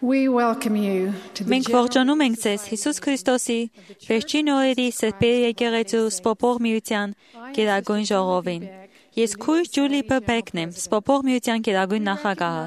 We welcome you to the Մենք ողջունում ենք ձեզ Հիսուս Քրիստոսի վերջին օրերի Սրբերի եկեղեցու Սպոպող միության գերագույն ժողովին։ Ես քույր Ջուլի Բեքն եմ, Սպոպող միության գերագույն նախագահը։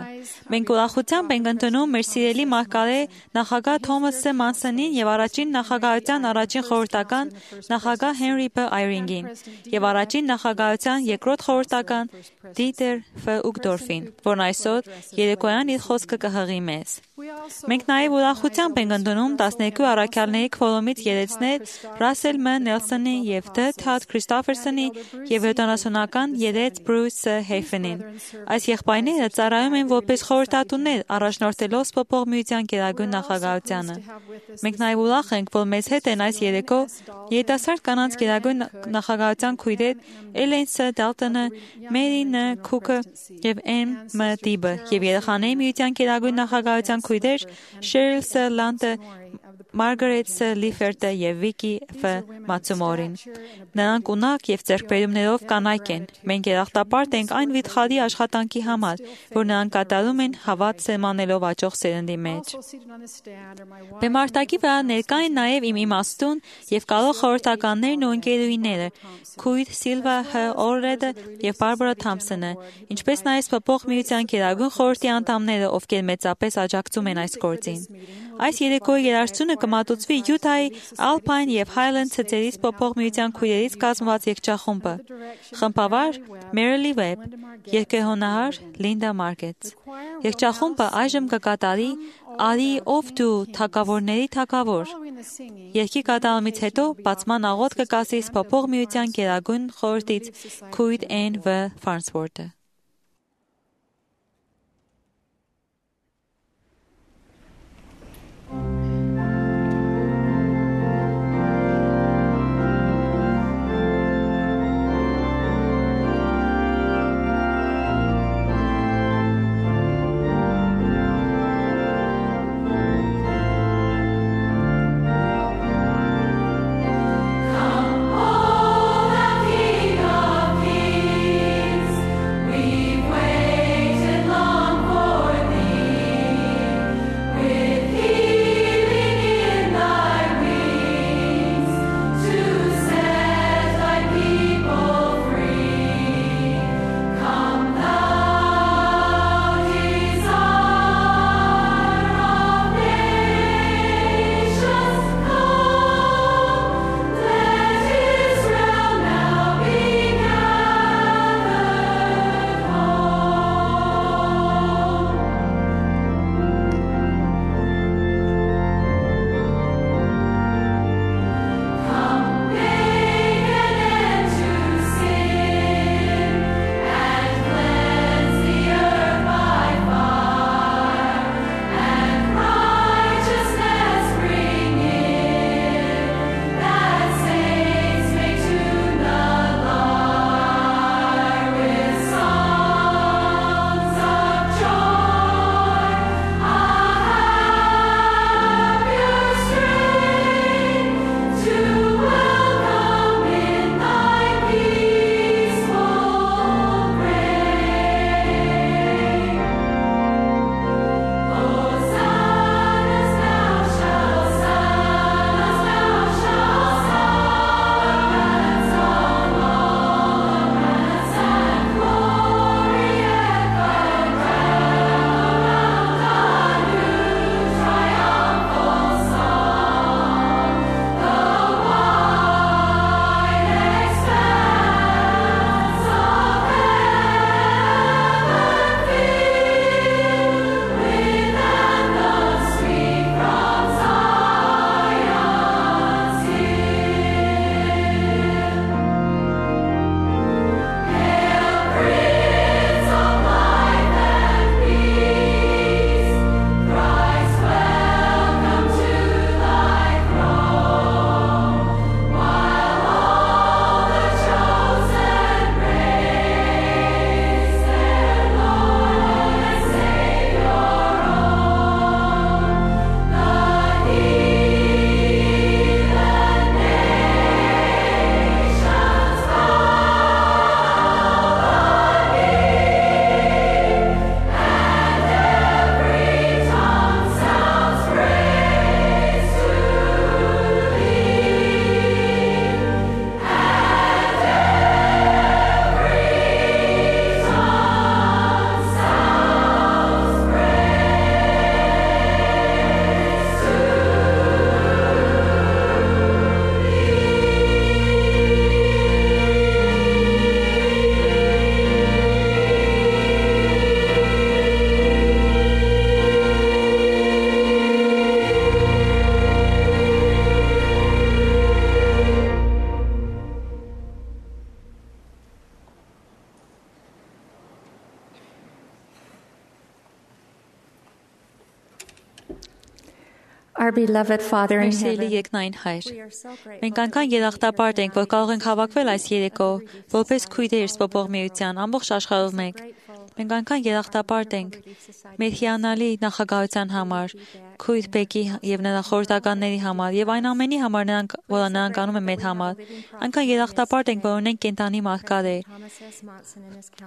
Մենք ուրախությամբ ենք ընդունում մեր սիրելի մարգարե նախագահ Թոմաս Մանսոնին եւ առաջին նախագահության առաջին խորհրդական նախագահ Հենրի Բ. Այրինգին եւ առաջին նախագահության երկրորդ խորհրդական Դիտեր Ֆ. Ուգդորֆին, որն այսօր երեկոյան իր խոսքը կհղի մեզ։ Մենք նաև ուրախությամբ ենք ընդունում 12 առաքյալների քվորումից երեցներ Ռասել Մ. Նելսոնի եւ Դ. Թադ Քրիստոֆերսոնի եւ 70-ական երեց Բրյուս Հեյֆենին։ Այս եղբայրները ծառայում են որպես խորհրդատուներ առաջնորդելով Սպոպող միության գերագույն նախագահությանը։ Մենք նաև ուրախ ենք, որ մեզ հետ են այս երեկո երիտասարդ կանանց գերագույն նախագահության քույրեր Էլեն Ս. Դալտոնը, Մերի Ն. Քուքը եւ Էմ. Մ. Դիբը եւ երեխաների միության գերագույն նախագահության քույրեր Շերիլ Ս. Լանտը, Մարգարետ Ս. Լիֆերտը եւ Վիկի Ֆ. Մացումորին։ Նրանք ունակ եւ ձեռքբերումներով կանայք են։ Մենք երախտապարտ ենք այն վիթխարի աշխատանքի համար, որ նրանք կատարում են հավատ սերմանելով աճող սերնդի մեջ։ Բեմարտակի վրա ներկա են նաեւ իմ իմաստուն եւ կարող խորհրդականներն ու ընկերուհիները, քույր Սիլվա Հ. Օրրեդը եւ Բարբարա Թամփսոնը, ինչպես նաեւ Սպոպող միության գերագույն խորհրդի անդամները, ովքեր մեծապես աջակցում են այս գործին։ Այս երեկոյի երաժշտությունը կմատուցվի Յուտայի Alpine եւ Highland ցեղերի Սպոպող միության քույրերից կազմված երգչախումբը։ Խմբավար Մերիլի Վեբ, երգեհոնահար Լինդա Մարկետս։ Երգչախումբը այժմ կկատարի Արի ով դու թագավորների թագավոր։ Երգի կատարումից հետո բացման աղոթ կկասի Սպոպող միության գերագույն խորհրդից քույր Էն Վ. Ֆարնսվորթը։ We Our beloved Father in Մեր սիրելի heaven, երկնային Հայր, we are so grateful մենք այնքան երախտապարտ ենք, որ կարող ենք հավաքվել այս երեկո որպես քույրեր Սպոպող միության ամբողջ աշխարհով մեկ։ Մենք այնքան երախտապարտ ենք մեր հիանալի նախագահության համար, քույր Բեկի եւ նրա խորհրդականների համար եւ այն ամենի համար, որ նրանք անում են մեր համար։ Այնքան երախտապարտ ենք, որ ունենք կենտանի մարդկաներ,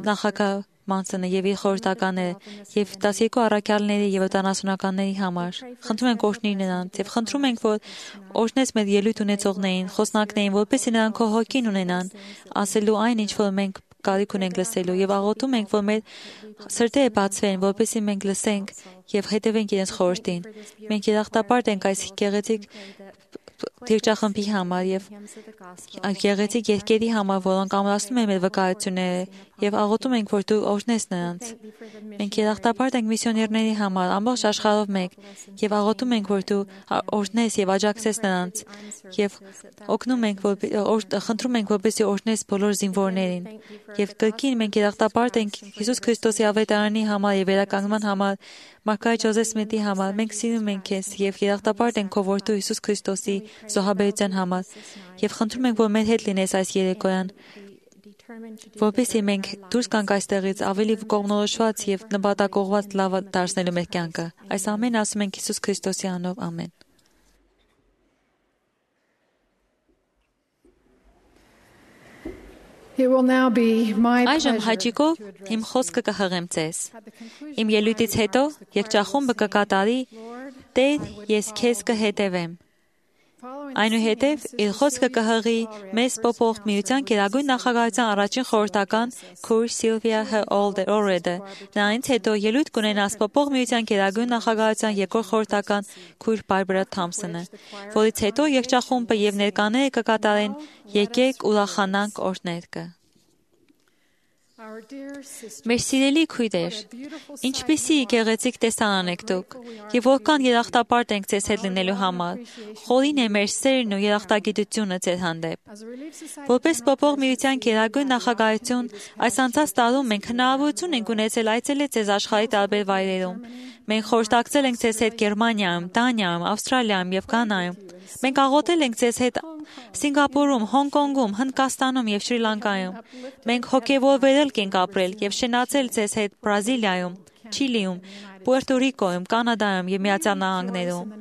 նախագահ Մանսոնը եւ իր խորհրդականները եւ 12 առաքյալների եւ 70-ականների համար։ Խնդրում ենք օրհնիր նրանց եւ խնդրում ենք, որ օրհնես մեր ելույթ ունեցողներին, խոսնակներին, որպեսզի նրանք քո հոգին ունենան, ասելու այն, ինչ որ մենք կարիք ունենք լսելու եւ աղոթում ենք, որ մեր սրտերը բացվեն, որպեսզի մենք լսենք եւ հետևենք իրենց խորհրդին։ Մենք երախտապարտ ենք այս գեղեցիկ Թիրճախմբի համար եւ գեղեցիկ երկերի համար, որոնք ամրացնում են մեր վկայությունները եւ աղոթում ենք, որ դու օրհնես նրանց։ Մենք երախտապարտ ենք միսիոներների համար, ամբողջ աշխարհով մեկ եւ աղոթում ենք, որ դու օրհնես եւ աջակցես նրանց եւ օգնում ենք, խնդրում ենք, որպեսզի օրհնես բոլոր զինվորներին։ Եվ կրկին մենք երախտապարտ ենք Հիսուս Քրիստոսի ավետարանի համար եւ վերականգնման համար, Մարգարետ Ջոզեֆ Սմիթի համար։ Մենք սիրում ենք քեզ եւ երախտապարտ ենք քո որդու Հիսուս Քրիստոսի զոհաբերության համար եւ խնդրում ենք, որ մեր հետ լինես այս երեկոյան, որպեսզի մենք դուրս գանք այստեղից ավելի կողմնորոշված եւ նպատակողված լավ դարձնելու մեր կյանքը։ Այս ամենը ասում ենք Հիսուս Քրիստոսի անունով, ամեն։ It will now be my Այժմ pleasure հաճիկով իմ խոսքը կհղեմ ձեզ։ Իմ ելույթից հետո երկճախումբը կկատարի Տեր, ես քեզ կհետևեմ։ Այնուհետև իր խոսքը կհղի մեզ Սպոպող միության գերագույն նախագահության առաջին խորհրդական քույր Սիլվիա Օրեդը։ Նրանից հետո ելույթ կունենա Սպոպող միության գերագույն նախագահության երկրորդ խորհրդական քույր Բարբարա Թոմսոնը, որից հետո երկճախումբը եւ ներկաները կկատարեն Եկեք ուրախանանք օրհներգը։ Մեր սիրելի քույրեր, ինչպիսի գեղեցիկ տեսարան եք դուք, եւ որքան երախտապարտ ենք ձեզ հետ լինելու համար։ Խորին է մեր սերն ու երախտագիտությունը ձեր հանդեպ։ Որպես Սպոպող միության գերագույն նախագահություն, այս անցած տարում մենք հնարավորություն ենք ունեցել այցելել ձեզ աշխարհի տարբեր վայրերում։ Մենք խորհրդակցել ենք ձեզ հետ Գերմանիայում, Դանիայում, Ավստրալիայում եւ Կանայում։ Մենք աղոթել ենք ձեզ հետ Սինգապուրում, Հոնկոնգում, Հնդկաստանում եւ Շրի Լանկայում։ Մենք հոգեվորվել ենք ապրել եւ շնացել ձեզ հետ Բրազիլիայում, Չիլիում, Պուերտո Ռիկոյում, Կանադայում եւ Միացյալ Նահանգներում։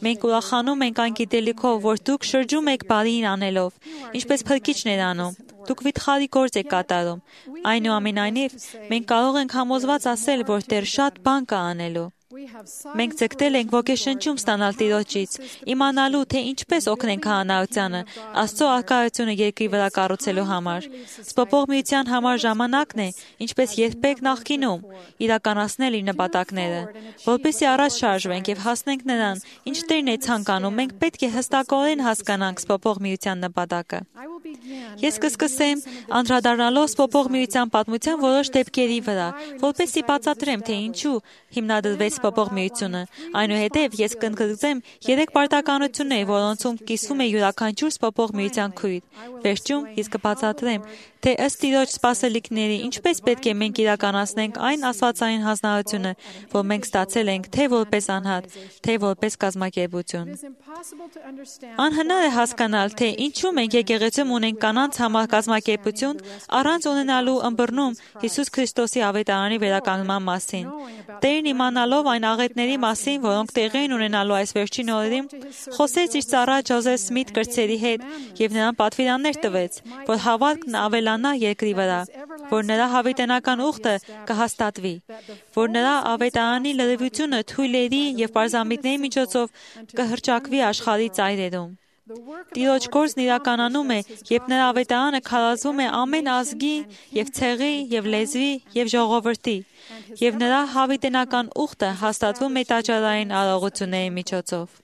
Մենք ուրախանում ենք այն գիտելիքով, որ դուք շրջում եք բարին անելով, ինչպես փրկիչներ անում։ Դուք վիթխարի գործ եք կատարում։ Այնուամենայնիվ, մենք կարող ենք համոզված ասել, որ դեռ շատ բան կա անելու։ Մենք ձգտել ենք ոգեշնչում ստանալ Տիրոջից, իմանալու, թե ինչպես օգնենք քահանայությանը, Աստծո առկայությունը երկրի վրա կառուցելու համար։ Սպոպող միության համար ժամանակն է, ինչպես երբեք նախկինում, իրականացնել իր նպատակները, որպեսզի առաջ շարժվենք եւ հասնենք նրան, ինչ Տերն է ցանկանում, մենք պետք է հստակորեն հասկանանք Սպոպող միության նպատակը։ Ես կսկսեմ անդրադառնալով Սպոպող միության պատմության որոշ դեպքերի վրա, որպեսզի բացատրեմ, թե ինչու հիմնադրվեց Սպոպող միությունը։ Այնուհետև ես կընդգծեմ 3 պարտականություններ, որոնցում կիսվում է յուրաքանչյուր Սպոպող միության քույր։ Վերջում ես կբացատրեմ, թե ըստ Տիրոջ սպասելիքների ինչպես պետք է մենք իրականացնենք այն աստվածային հանձնարարությունը, որ մենք ստացել ենք թե որպես անհատ, թե որպես կազմակերպություն։ Անհնար է հասկանալ, թե ինչու մենք եկեղեցում ունենք կանանց համար կազմակերպություն առանց ունենալու ըմբռնում Հիսուս Քրիստոսի ավետարանի վերականգնման մասին։ Տերն իմանալով այն աղետների մասին, որոնք տեղի են ունենալու այս վերջին օրերին, խոսեց իր ծառա Ջոզեֆ Սմիթ կրտսերի հետ եւ նրան պատվիրաններ տվեց, որ հավատքն ավելանա երկրի վրա, որ նրա հավիտենական ուխտը կհաստատվի, որ նրա ավետարանի լրիվությունը թույլերի եւ պարզամիտների միջոցով կհրճակվի աշխարհի ծայրերում։ Տիրոջ գործն իրականանում է, երբ նրա ավետարանը քարոզվում է ամեն ազգի եւ ցեղի եւ լեզվի եւ ժողովրդի, եւ նրա հավիտենական ուխտը հաստատվում է տաճարային արարողությունների միջոցով։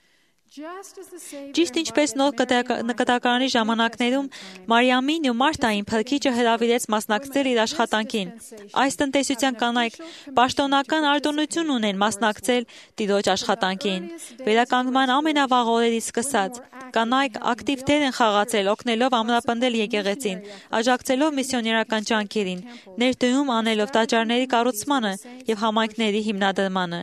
Ճիշտ ինչպես նոր կտակարանի ժամանակներում Մարիամին ու Մարտային Փրկիչը հրավիրեց մասնակցել իր աշխատանքին, այս տնտեսության կանայք պաշտոնական արտոնություն ունեն մասնակցել Տիրոջ աշխատանքին։ Վերականգնման ամենավաղ օրերից սկսած կանայք ակտիվ դեր են խաղացել օգնելով ամրապնդել եկեղեցին, աջակցելով միսիոներական ջանքերին, ներդրում անելով տաճարների կառուցմանը եւ համայնքների հիմնադրմանը։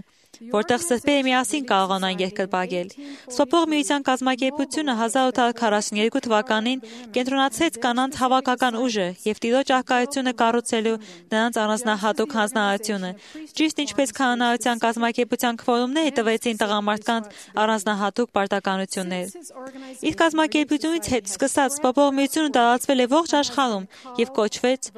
որտեղ սրբերը միասին կարողանան երկրպագել։ Սպոպող միության կազմակերպությունը 1842 թվականին կենտրոնացրեց կանանց հավաքական ուժը և Տիրոջ առկայությունը կառուցելու նրանց առանձնահատուկ հանձնարարությունը, ճիշտ ինչպես քահանայության կազմակերպության քվորումները տվեցին տղամարդկանց առանձնահատուկ պարտականություններ։ Իր կազմակերպությունից հետ սկսած Սպոպող միությունը տարածվել է ողջ աշխարհում և կոչվեց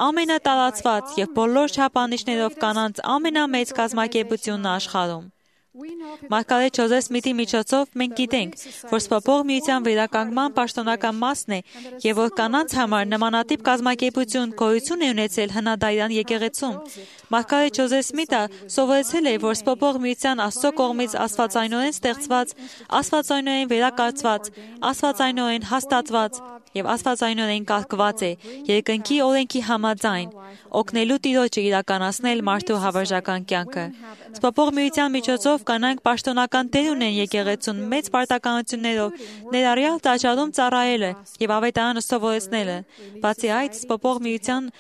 ամենատարածված և բոլոր չափանիշներով կանանց ամենամեծ կազմակերպությունն աշխարհում։ Մարգարետ Ջոզեֆ Սմիթի միջոցով մենք գիտենք, որ Սպոպող միության վերականգնման պաշտոնական մասն է և որ կանանց համար նմանատիպ կազմակերպություն գոյություն է ունեցել հնադարյան եկեղեցում։ Մարգարետ Ջոզեֆ Սմիթը սովորեցրել է, որ Սպոպող միության Աստծո կողմից աստվածայնորեն ստեղծված, աստվածայնորեն վերակառուցված, աստվածայնորեն հաստատված և աստվածայնորեն կարգված է երկնքի օրենքի համաձայն, օգնելու Տիրոջը իրականացնել մարդու հավերժական կյանքը։ Սպոպող միության միջոցով կանայք պաշտոնական դեր ունեն եկեղեցուն մեծ պարտականություններով, ներառյալ տաճարում ծառայելը և ավետարանը սովորեցնելը։ Բացի այդ, Սպոպող միության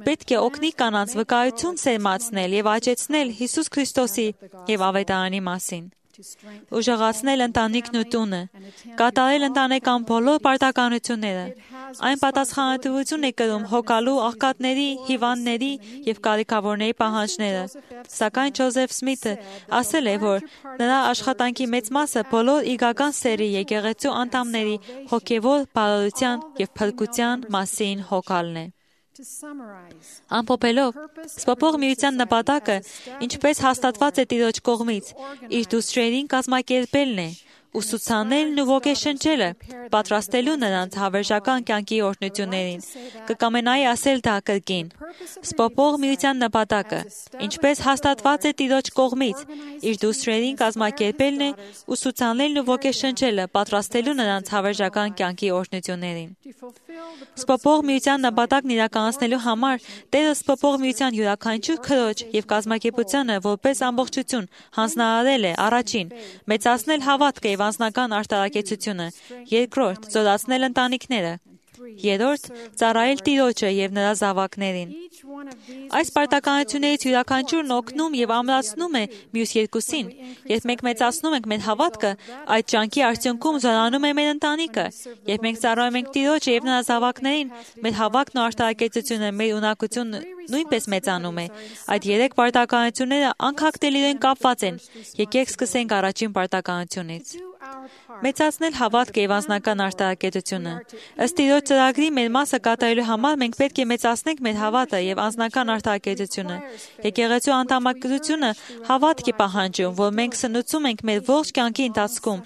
պետք է օգնի կանանց վկայություն սերմացնել և աճեցնել Հիսուս Քրիստոսի և ավետարանի մասին, ուժեղացնել ընտանիքն ու տունը, կատարել ընտանեկան բոլոր պարտականությունները։ Այն պատասխանատվություն է կրում հոգալու աղքատների, հիվանդների և կարիքավորների պահանջները։ Սակայն Ջոզեֆ Սմիթը ասել է, որ նրա աշխատանքի մեծ մասը բոլոր իգական սերի եկեղեցու անդամների հոգևոր բարօրության և փրկության մասին հոգալն է։ Ամփոփելով, Սպոպող միության նպատակը, ինչպես հաստատված է Տիրոջ կողմից, իր դուստրերին կազմակերպելն է, ուսուցանելն ու ոգեշնչելը, պատրաստելու նրանց հավերժական կյանքի օրհնություններին։ Կկամենայի ասել դա կրկին։ Սպոպող միության նպատակը, ինչպես հաստատված է Տիրոջ կողմից, իր դուստրերին կազմակերպելն է, ուսուցանելն ու ոգեշնչելը, պատրաստելու նրանց հավերժական կյանքի օրհնություններին։ Սպոպող միության նպատակն իրականացնելու համար Տերը Սպոպող միության յուրաքանչյուր քրոջ և կազմակերպությանը որպես ամբողջություն հանձնարարել է առաջին՝ մեծացնել հավատքը և անձնական արտարակեցությունը, երկրորդ՝ զորացնել ընտանիքները, երրորդ՝ ծառայել Տիրոջը և նրա զավակներին։ Այս պարտականություններից յուրաքանչյուրն օգնում և ամրացնում է մյուս երկուսին։ Երբ մենք մեծացնում ենք մեր հավատքը, այդ ջանքի արդյունքում զորանում է մեր ընտանիքը։ Երբ մենք ծառայում ենք Տիրոջը և նրա զավակներին, մեր հավատքն ու արտարակեցությունը, մեր ունակությունը նույնպես մեծանում է։ Այդ երեք պարտականությունները անքակտելիորեն կապված են։ Եկեք սկսենք առաջին պարտականությունից։ Մեծացնել հավատքը և անձնական արտարակեցությունը։ Ըստ Տիրոջ ծրագրի մեր մասը կատարելու համար մենք պետք է մեծացնենք մեր հավատը և անձնական արտարակեցությունը։ Եկեղեցու անդամակցությունը հավատք է պահանջում, որ մենք սնուցում ենք մեր ողջ կյանքի ընթացքում,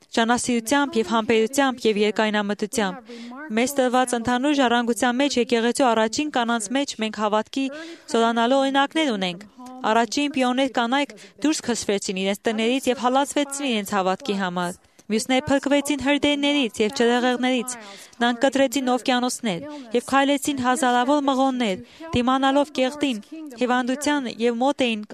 ջանասիրությամբ և համբերությամբ և երկայնամտությամբ։ Մեզ տրված ընդհանուր ժառանգության մեջ եկեղեցու առաջին կանանց մեջ մենք հավատքի զորանալու օրինակներ ունենք։ Առաջին պիոներ կանայք դուրս քշվեցին իրենց տներից և հալածվեցին իրենց հավատքի համար։ Մյուսները փրկվեցին հրդեհներից և ջրհեղեղներից, նրանք կտրեցին օվկիանոսներ և քայլեցին հազարավոր մղոններ, դիմանալով կեղտին, հիվանդության և մոտ էին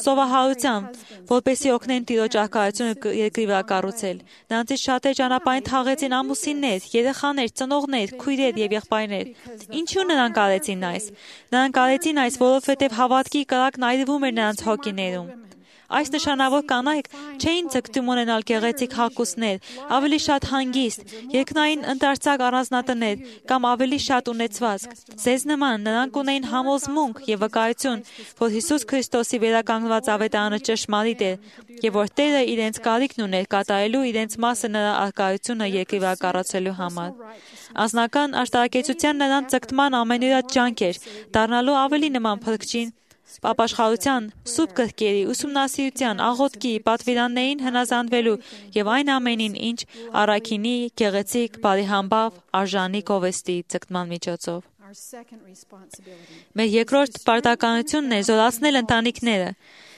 սովահարության, որպեսզի օգնեն Տիրոջ առկայությունը երկրի վրա կառուցել։ Նրանցից շատերը ճանապարհին թաղեցին ամուսիններ, երեխաներ, ծնողներ, քույրեր և եղբայրներ։ Ինչու նրանք արեցին այս։ Նրանք արեցին այս, որովհետև հավատքի կրակն այրվում էր նրանց հոգիներում։ Այս նշանավոր կանայք չէին ձգտում ունենալ գեղեցիկ հագուստներ, ավելի շատ հանգիստ, երկնային ընդարձակ առանձնատներ կամ ավելի շատ ունեցվածք։ Ձեզ նման նրանք ունեին համոզմունք և վկայություն, որ Հիսուս Քրիստոսի վերականգնված ավետարանը ճշմարիտ է և որ Տերը իրենց կարիքն ուներ կատարելու իրենց մասը նրա առկայությունը երկրի վրա կառուցելու համար։ Անձնական արտարակեցության նրանց ձգտման ամենօրյա ջանք էր, դառնալու ավելի նման Փրկչին, ապաշխարության, սուրբ գրքերի, ուսումնասիրության, աղոթքի, պատվիրաններին հնազանդվելու և այն ամենին, ինչ առաքինի, գեղեցիկ, բարեհամբավ, արժանի գովեստի ձգտման միջոցով։ Մեր երկրորդ պարտականությունն է զորացնել ընտանիքները։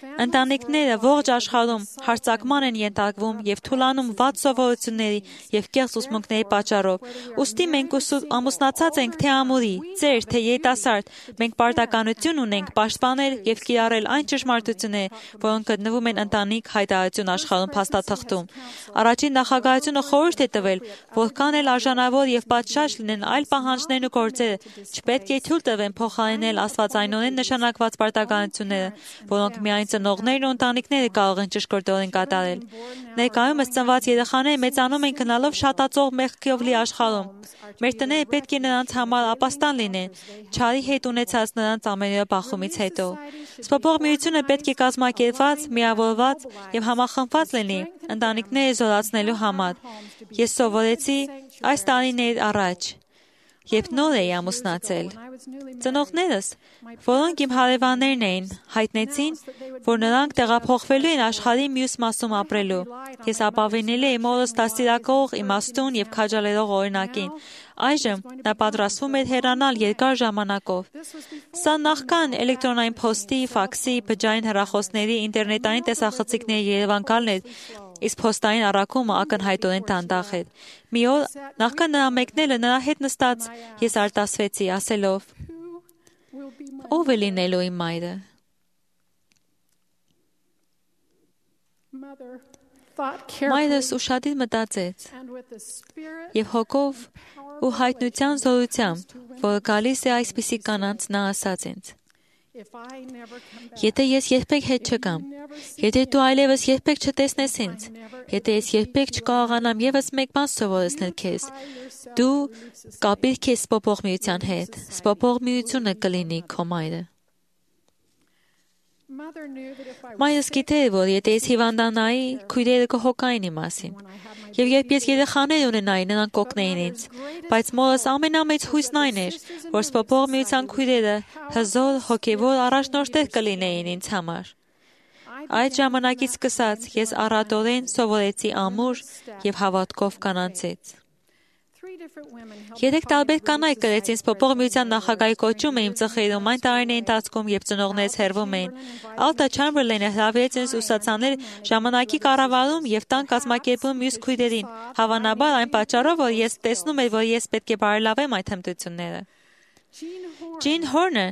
Ընտանիքները ողջ աշխարհում հարձակման են ենթարկվում և թուլանում վատ սովորությունների և կեղծ ուսմունքների պատճառով։ Ուստի մենք ամուսնացած ենք թե ամուրի, ծեր, թե երիտասարդ, մենք պարտականություն ունենք պաշտպանել և կիրառել այն ճշմարտությունները, որոնք գտնվում են ընտանիք հայտարարություն աշխարհում փաստաթղթում։ Առաջին նախագահությունը խորհուրդ է տվել, որքան էլ արժանավոր և պատշաճ լինեն այլ պահանջներն ու գործերը, Չպետք է թույլ տվեն փոխարինել աստվածայնորեն նշանակված պարտականությունները, որոնք միայն ծնողներն ու ընտանիքները կարող են ճշգրտորեն կատարել։ Ներկայումս ծնված երեխաները մեծանում են գնալով շատացող մեղքով լի աշխարհում։ Մեր տները պետք է նրանց համար ապաստան լինեն, չարի հետ ունեցած նրանց ամենօրյա բախումից հետո։ Սպոպող միությունը պետք է կազմակերպված, միավորված եւ համախմբված լինի ընտանիքները զորացնելու համար։ Ես սովորեցի այս տարիներ առաջ, երբ նոր էի ամուսնացել։ Ծնողներս, որոնք իմ հարևաններն էին, հայտնեցին, որ նրանք տեղափոխվելու են աշխարհի մյուս մասում ապրելու։ Ես ապավինել էի մորս դաստիարակող, իմաստուն եւ քաջալերող օրինակին։ Այժմ նա պատրաստվում էր հեռանալ երկար ժամանակով։ Սա նախքան էլեկտրոնային փոստի, ֆաքսի, բջջային հեռախոսների, ինտերնետային տեսախցիկների Երևան գալն էր, իսկ փոստային առաքումը ակնհայտորեն դանդաղ էր։ Մի օր, նախքան նրա մեկնելը, նրա հետ նստած ես արտասվեցի, ասելով. «Ո՞վ է լինելու իմ մայրը»։ Մայրս ուշադիր մտածեց եւ հոգով ու հայտնության զորությամբ, որը գալիս է այսպիսի կանանց, նա ասաց ինձ. «Եթե ես երբեք հետ չգամ, եթե դու այլևս երբեք չտեսնես ինձ, եթե ես երբեք չկարողանամ եւս մեկ բան սովորեցնել քեզ, դու կապիր քեզ սպոպող միության հետ, սպոպող միությունը կլինի քո մայրը»։ Մայրս գիտեր, որ եթե ես հիվանդանայի, քույրերը կհոգային իմ մասին։ Եվ երբ ես երեխաներ ունենայի, նրանք կօգնեին ինձ։ Բայց մորս ամենամեծ հույսն այն էր, որ սպոպող միության քույրերը հզոր, հոգևոր առաջնորդներ կլինեին ինձ համար։ Այդ ժամանակից սկսած ես առատորեն սովորեցի ամուր եւ հավատքով կանանցից։ 3 տարբեր կանայք կրեցին սպոպող միության նախագահի կոչումը իմ ծխերում այն տարիների ընթացքում, երբ ծնողներս հեռվում էին։ Ալտա Չամբերլենը հրավիրեց ինձ ուսուցանել ժամանակի կառավարում եւ տան կազմակերպում մյուս քույրերին, հավանաբար այն պատճառով, որ ես տեսնում եմ, որ ես պետք է բարելավեմ այդ հմտությունները։ Ջին Հորնը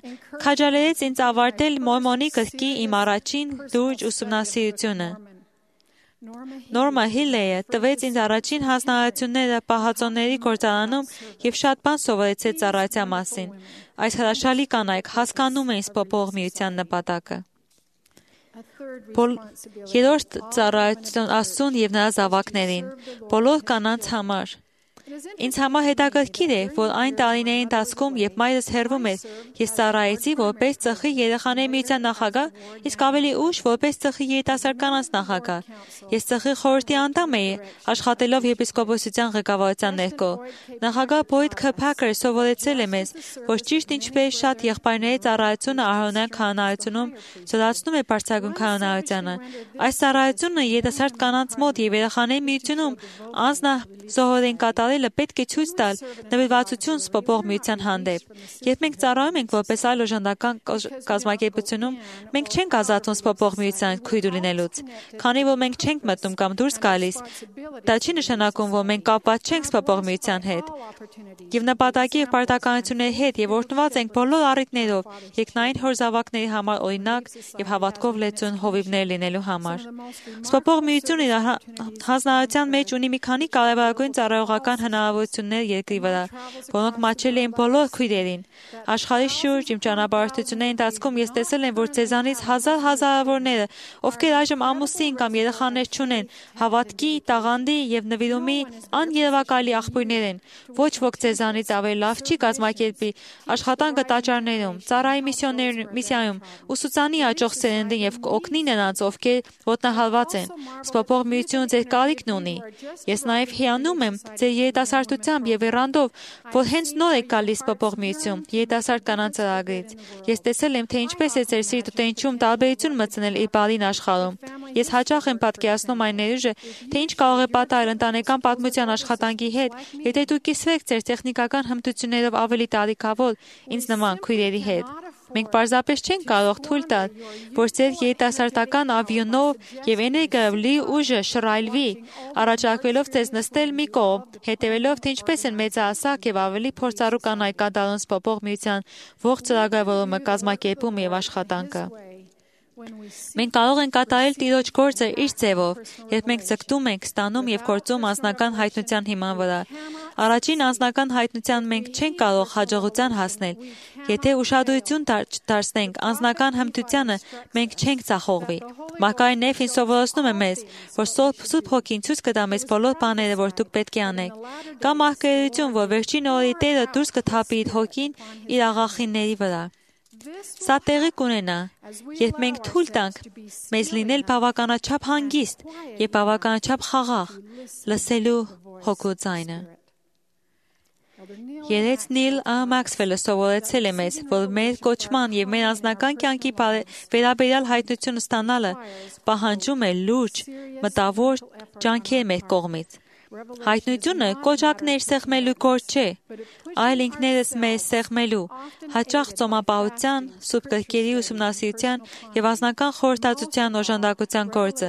քաջալերեց ինձ ավարտել Մորմոնի գրքի իմ առաջին լուրջ ուսումնասիրությունը։ Նորմա Հիլլեյը տվեց ինձ առաջին հանձնարարությունները պահածոների գործարանում եւ շատ բան սովորեցեց ծառայության մասին։ Այս հրաշալի կանայք հասկանում էին սպոպող միության նպատակը։ Երրորդ ծառայություն Աստծուն եւ նրա զավակներին, բոլոր կանանց համար։ Ինձ համար հետաքրքիր է, որ այն տարիների ընթացքում, երբ մայրս հեռվում էր, ես ծառայեցի որպես ծխի երեխաների միության նախագահ, իսկ ավելի ուշ որպես ծխի երիտասարդ կանանց նախագահ։ Ես ծխի խորհրդի անդամ էի, աշխատելով եպիսկոպոսության ղեկավարության ներքո։ Նախագահ Բոյդ Քըփակերը սովորեցրել է մեզ, որ ճիշտ ինչպես շատ եղբայրների ծառայությունը արհոնյան քահանայությունում զորացնում է բարձրագույն քահանայությանը, այս ծառայությունը երիտասարդ կանանց մոտ եւ երեխաների միությունում անձնազոհորեն կատարելը պետք է ցույց տալ նվիրվածություն սպոպող միության հանդեպ։ Երբ մենք ծառայում ենք որպես այլ օժանդական կազմակերպությունում, մենք չենք ազատվում սպոպող միության քույր լինելուց։ Քանի որ մենք չենք մտնում կամ դուրս գալիս, դա չի նշանակում, որ մենք կապված չենք սպոպող միության հետ։ Եվ նպատակի եւ պարտականությունների հետ եւ օրհնված ենք բոլոր առիթներով, երկնային հոր զավակների համար օրինակ եւ հավատքով լեցուն հովիվներ լինելու համար։ Սպոպող միությունը իր հանձնարարության մեջ ունի մի քանի կարևորագույն ծառայողական հնարավորություններ երկրի վրա, որոնք մատչելի են բոլոր քույրերին։ Աշխարհի շուրջ իմ ճանապարհորդությունների ընթացքում ես տեսել եմ, որ ձեզանից հազարավորները, ովքեր այժմ ամուսին կամ երեխաներ չունեն, հավատքի, տաղանդի եւ նվիրումի աներևակայելի աղբյուրներ են։ Ոչ ոք ձեզանից ավելի լավ չի կազմակերպի աշխատանքը տաճարներում, ծառայի միսիայում, ուսուցանի աճող սերնդին եւ օգնի նրանց, ովքեր ոտնահարված են։ Սպոպող միությունը ձեր կարիքն ունի։ Ես նաեւ հիանում եմ ձեր երիտասարդությամբ եւ երանդով, որ հենց նոր եք գալիս սպոպող միություն, երիտասարդ կանանց ծրագրից։ Ես տեսել եմ, թե ինչպես է ձեր սիրտ ու տենչում տարբերություն մտցնել իր բարին աշխարհում։ Ես հաճախ եմ պատկերացնում այն ներուժը, թե ինչ կարող է պատահել ընտանեկան պատմության աշխատանքի հետ, եթե դուք կիսվեք ձեր տեխնիկական հմտություններով ավելի տարիքավոր ինձ նման քույրերի հետ։ Մենք պարզապես չենք կարող թույլ տալ, որ ձեր երիտասարդական ավյունով եւ էներգիայով լի ուժը շռայլվի, առաջարկվելով ձեզ նստել մի կողմ, հետևելով թե ինչպես են մեծահասակ եւ ավելի փորձառու կանայք կատարում սպոպող միության ողջ ծրագրավորումը, կազմակերպումը եւ աշխատանքը։ Մենք կարող ենք կատարել Տիրոջ գործը իր ձևով, երբ մենք ձգտում ենք, ստանում եւ գործում անձնական հայտնության հիման վրա։ Առաջին անձնական հայտնության մենք չենք կարող հաջողության հասնել։ Եթե ուշադրություն դարձնենք անձնական հմտությանը, մենք չենք ձախողվի։ Մարգարեն Նեֆին սովորեցնում է մեզ, որ Սուրբ Հոգին ցույց կտա մեզ բոլոր բաները, որ դուք պետք է անեք։ Կա մարգարեություն, որ վերջին օրերի Տերը դուրս կթափի իր Հոգին իր աղախինների վրա։ Սա տեղի կունենա, երբ մենք թույլ տանք մեզ լինել բավականաչափ հանգիստ եւ բավականաչափ խաղաղ, լսելու Հոգու ձայնը։ Երեկ Նիլ Մաքսվելը սովորեցել է մեզ, որ մեր կոչման եւ մեր անձնական կյանքի վերաբերյալ հայտնություն ստանալը պահանջում է լուրջ, մտավոր ջանքեր մեր կողմից։ Հայտնությունը կոճակներ սեղմելու գործ չէ, այլ ինքներս մեզ սեղմելու, հաճախ ծոմապահության, սուրբ գրքերի ուսումնասիրության եւ անձնական խորհրդածության օժանդակության գործը։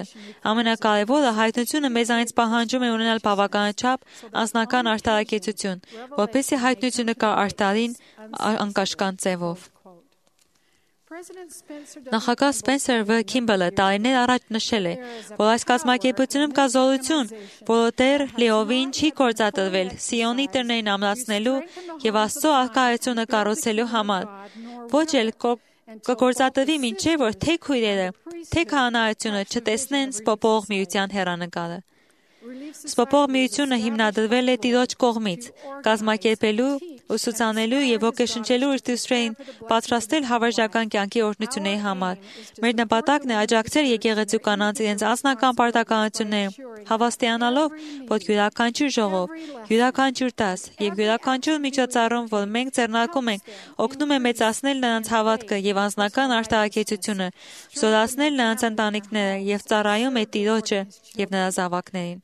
Ամենակարևորը հայտնությունը մեզանից պահանջում է ունենալ բավականաչափ անձնական արդարակեցություն, որպեսզի հայտնությունը կա արտարին անկաշկանդ ձևով։ Նախագահ Սպենսեր V. Քիմբելը տարիներ առաջ նշել է, որ այս կազմակերպությունում կա զորություն, որը դեռ լիովին չի գործադրվել Սիոնի տերներին ամրացնելու եւ Աստծո արկայությունը կառուցելու համար։ Ոչ էլ կգործադրվի մինչև որ թե քույրերը, թե քահանայությունը չտեսնեն սփոփող միության հեռանկարը։ Սփոփող միությունը հիմնադրվել է Տիրոջ կողմից, կազմակերպելու, ուսուցանելու եւ ոգեշնչելու իր դուստրերին պատրաստել հավերժական կյանքի օրհնությունների համար։ Մեր նպատակն է աջակցել եկեղեցու կանանց իրենց անձնական պարտականությունները, հավաստիանալով, որ յուրաքանչյուր ժողով, յուրաքանչյուր դաս եւ յուրաքանչյուր միջոցառում, որ մենք ձեռնարկում ենք, օգնում է մեծացնել նրանց հավատքը եւ անձնական արդարակեցությունը, զորացնել նրանց ընտանիքները եւ ծառայում է Տիրոջը եւ նրա զավակներին։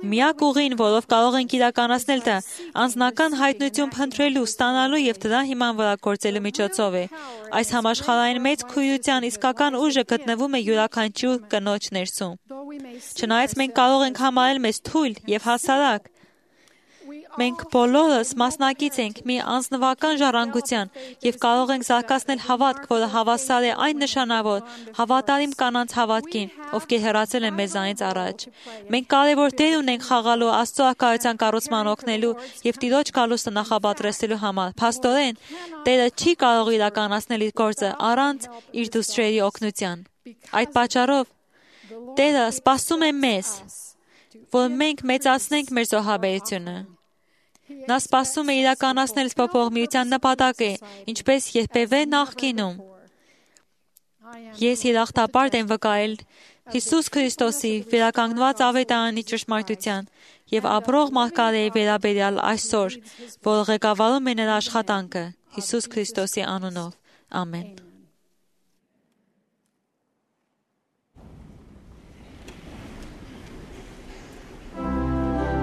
Միակ ուղին, որով կարող ենք իրականացնել դա, անձնական հայտնություն փնտրելու, ստանալու եւ դրա հիման վրա գործելու միջոցով է։ Այս համաշխարհային մեծ քույրության իսկական ուժը գտնվում է յուրաքանչյուր կնոջ ներսում։ Չնայած մենք կարող ենք համարել մեզ թույլ եւ հասարակ, մենք բոլորս մասնակից ենք մի անձնվական ժառանգության եւ կարող ենք զարգացնել հավատք, որը հավասար է այն նշանավոր հավատարիմ կանանց հավատքին, ովքեր հեռացել են մեզանից առաջ։ Մենք կարևոր դեր ունենք խաղալու Աստծո արկայության կառուցման օգնելու եւ Տիրոջ գալուստը նախապատրաստելու համար։ Փաստորեն, Տերը չի կարող իրականացնել իր գործը առանց իր դուստրերի օգնության։ Այդ պատճառով Տերը սպասում է մեզ, որ մենք մեծացնենք մեր զոհաբերությունը։ Նա սպասում է իրականացնել սփոփող միության նպատակը, ինչպես երբևէ նախկինում։ Ես երախտապարտ եմ վկայել Հիսուս Քրիստոսի վերականգնված ավետարանի ճշմարտության եւ ապրող մարգարեի վերաբերյալ այսօր, որ ղեկավարում է նրա աշխատանքը Հիսուս Քրիստոսի անունով։ Ամեն։ May I learn to love you.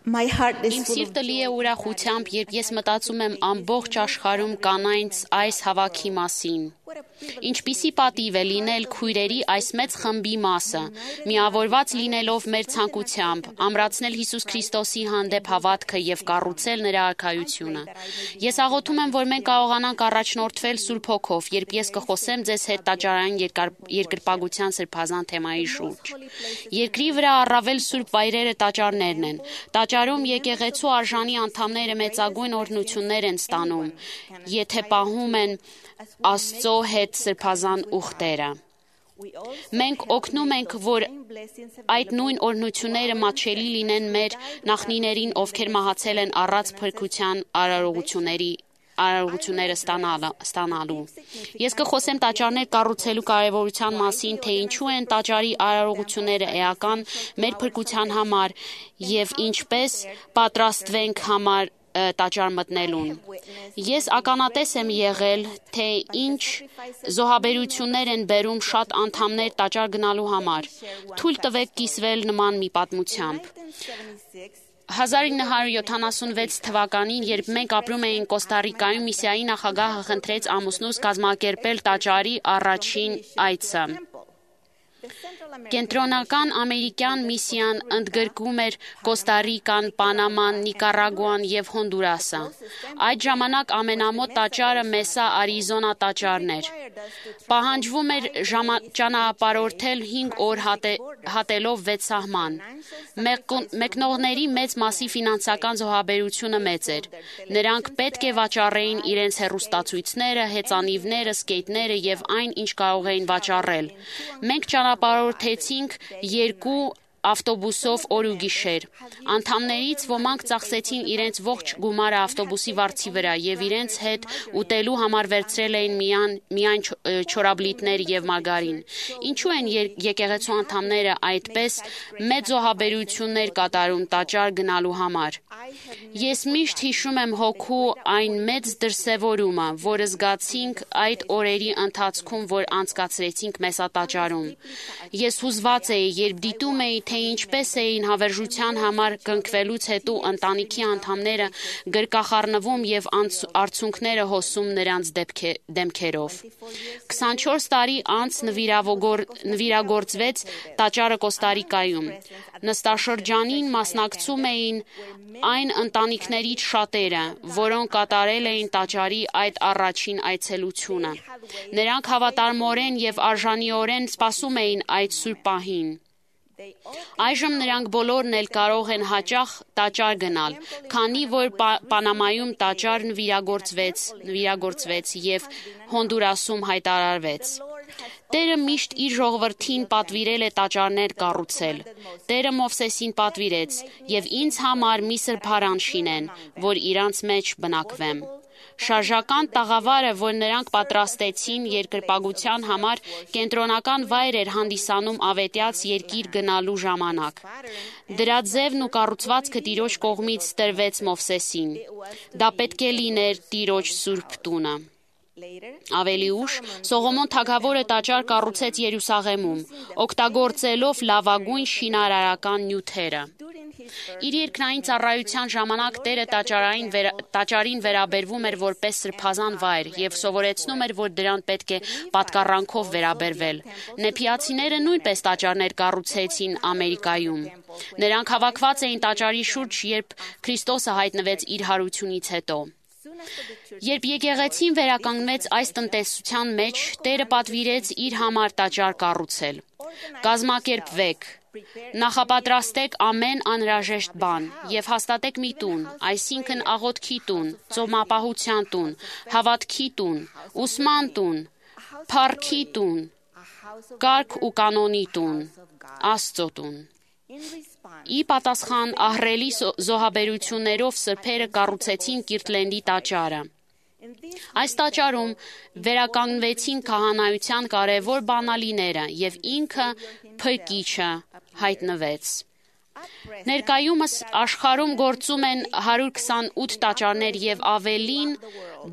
Իմ սիրտը լի է ուրախությամբ, երբ ես մտածում եմ ամբողջ աշխարհում կանայց այս հավաքի մասին։ Ինչպիսի պատիվ է լինել քույրերի այս մեծ խմբի մասը, միավորված լինելով մեր ցանկությամբ, ամրացնել Հիսուս Քրիստոսի հանդեպ հավատքը եւ կառուցել նրա արքայությունը։ Ես աղոթում եմ, որ մենք կարողանանք առաջնորդվել Սուրբ Հոգով, երբ ես կխոսեմ ձեզ հետ տաճարային երկրպագության սրբազան թեմայի շուրջ։ Երկրի վրա առավել սուրբ վայրերը տաճարներն են։ Տաճարում եկեղեցու արժանի անդամները մեծագույն օրհնություններ են ստանում, եթե պահում են Աստծո հետ սրբազան ուխտերը։ Մենք օգնում ենք, որ այդ նույն օրհնությունները մատչելի լինեն մեր նախնիներին, ովքեր մահացել են առանց փրկության արարողությունները ստանալու։ Ես կխոսեմ տաճարներ կառուցելու կարևորության մասին, թե ինչու են տաճարի արարողությունները էական մեր փրկության համար եւ ինչպես պատրաստվենք տաճար մտնելուն։ Ես ականատես եմ եղել, թե ինչ զոհաբերություններ են բերում շատ անդամներ տաճար գնալու համար։ Թույլ տվեք կիսվել նման մի պատմությամբ։ 1976 թվականին, երբ մենք ապրում էինք Կոստարիկայում, Միսիայի նախագահը խնդրեց ամուսնուս կազմակերպել տաճարի առաջին այցը։ Կենտրոնական ամերիկյան միսիան ընդգրկում էր Կոստարիկան, Պանաման, Նիկարագուան եւ Հոնդուրասը։ Այդ ժամանակ ամենամոտ տաճարը Մեսա Արիզոնա տաճարն էր։ Պահանջվում էր ճանապարհորդել 5 օր հատելով 6 սահման։ Մեկնողների մեծ մասի ֆինանսական զոհաբերությունը մեծ էր։ Նրանք պետք է վաճառեին իրենց հեռուստացույցները, հեծանիվները, սկեյթները եւ այն, ինչ կարող էին վաճառել։ Մենք ճանապարհորդեցինք 2 ավտոբուսով օր ու գիշեր։ Անդամներից ոմանք ծախսեցին իրենց ողջ գումարը ավտոբուսի վարձի վրա եւ իրենց հետ ուտելու համար վերցրել էին միայն չորաբլիթներ եւ մարգարին։ Ինչու են եկեղեցու անդամները այդպես մեծ զոհաբերություններ կատարում տաճար գնալու համար։ Ես միշտ հիշում եմ հոգու այն մեծ դրսևորումը, որը զգացինք այդ օրերի ընթացքում, որ անցկացրեցինք Մեսատաճարում։ Ես հուզված էի, երբ դիտում էի, թե ինչպես էին հավերժության համար կնքվելուց հետո ընտանիքի անդամները գրկախառնվում եւ արցունքները հոսում նրանց դեմքերով։ 24 տարի անց նվիրագործվեց տաճարը Կոստարիկայում։ Նստաշրջանին մասնակցում էին այն ընտանիքներից շատերը, որոնք կատարել էին տաճարի այդ առաջին այցելությունը։ Նրանք հավատարմորեն եւ արժանիորեն սպասում էին այդ սուրբ պահին։ Այժմ նրանք բոլորն էլ կարող են հաճախ տաճար գնալ, քանի որ Պանամայում տաճար նվիրագործվեց եւ Հոնդուրասում հայտարարվեց։ Տերը միշտ իր ժողովրդին պատվիրել է տաճարներ կառուցել։ Տերը Մովսեսին պատվիրեց եւ ինձ համար մի սրբարան շինեն, որ իրանց մեջ բնակվեմ։ Շարժական տաղավարը, որ նրանք պատրաստեցին երկրպագության համար, կենտրոնական վայր էր հանդիսանում ավետյաց երկիր գնալու ժամանակ։ Դրա ձևն ու կառուցվածքը Տիրոջ կողմից տրվեց Մովսեսին։ Դա պետք է լիներ Տիրոջ սուրբ տունը։ Ավելի ուշ Սողոմոն թագավորը տաճար կառուցեց Երուսաղեմում, օգտագործելով լավագույն շինարարական նյութերը։ Իր երկնային ծառայության ժամանակ Տերը տաճարին վերաբերվում էր որպես սրբազան վայր եւ սովորեցնում էր, որ դրան պետք է պատկառանքով վերաբերվել։ Նեփիացիները նույնպես տաճարներ կառուցեցին Ամերիկայում։ Նրանք հավաքված էին տաճարի շուրջ, երբ Քրիստոսը հայտնվեց իր հարությունից հետո։ Երբ եկեղեցին վերականգնվեց այս տնտեսության մեջ, Տերը պատվիրեց իր համար տաճար կառուցել։ Կազմակերպվեք, նախապատրաստեք ամեն անհրաժեշտ բան եւ հաստատեք մի տուն, այսինքն աղոթքի տուն, ծոմապահության տուն, հավատքի տուն, ուսման տուն, փառքի տուն, կարգ ու կանոնի տուն, Աստծո տուն։ Ի պատասխան ահռելի զոհաբերություններով սրբերը կառուցեցին Կիրտլենդի տաճարը։ Այս տաճարում վերականգնվեցին քահանայության կարևոր բանալիները եւ ինքը Փրկիչը հայտնվեց։ Ներկայումս աշխարհում գործում են 128 տաճարներ եւ ավելին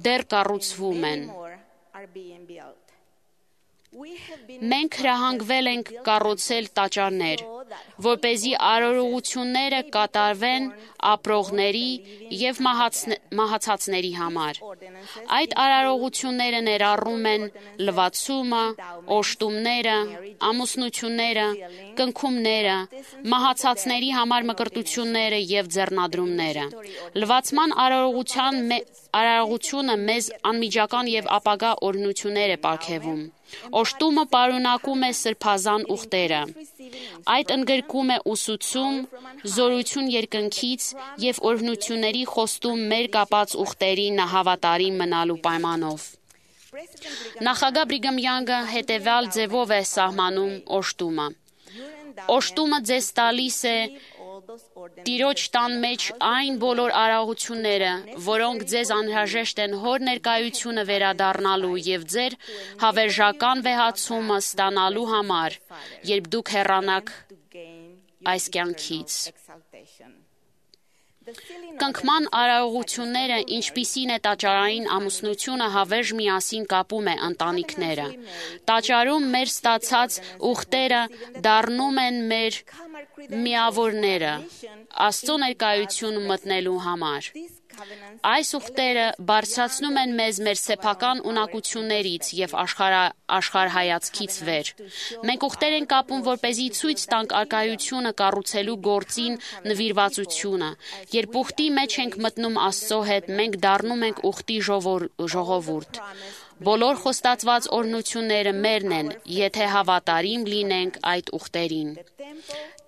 դեռ կառուցվում են։ Մենք հրահանգվել ենք կառուցել տաճարներ, որպեսզի արարողությունները կատարվեն ապրողների և մահացածների համար։ Այդ արարողությունները ներառում են լվացումը, օժտումները, ամուսնությունները, կնքումները, մահացածների համար մկրտությունները և ձեռնադրումները։ Լվացման արարողությունը մեզ անմիջական և ապագա օրհնություններ է պարգևում։ Օժտումը պարունակում է սրբազան ուխտերը։ Այդ ընդգրկում է ուսուցում, զորություն երկնքից և օրհնությունների խոստում մեր կապած ուխտերին հավատարիմ մնալու պայմանով։ Նախագահ Բրիգհամ Յանգը հետևյալ ձևով է սահմանում օժտումը։ Օժտումը ձեզ տալիս է Տիրոջ տան մեջ այն բոլոր արարողությունները, որոնք ձեզ անհրաժեշտ են հոր ներկայությունը վերադառնալու և ձեր հավերժական վեհացումը ստանալու համար, երբ դուք հեռանաք այս կյանքից։ Կնքման արարողությունները, ինչպիսին է տաճարային ամուսնությունը, հավերժ միասին կապում է ընտանիքները։ Տաճարում մեր ստացած ուխտերը դառնում են մեր միավորները Աստծո ներկայություն մտնելու համար։ Այս ուխտերը բարձրացնում են մեզ մեր սեփական ունակություններից և աշխարհայացքից վեր։ Մենք ուխտեր ենք կապում, որպեսզի ցույց տանք առկայությունը կառուցելու գործին նվիրվածությունը։ Երբ ուխտի մեջ ենք մտնում Աստծո հետ, մենք դառնում ենք ուխտի ժողովուրդ։ Բոլոր խոստացված օրհնությունները մերն են, եթե հավատարիմ լինենք այդ ուխտերին։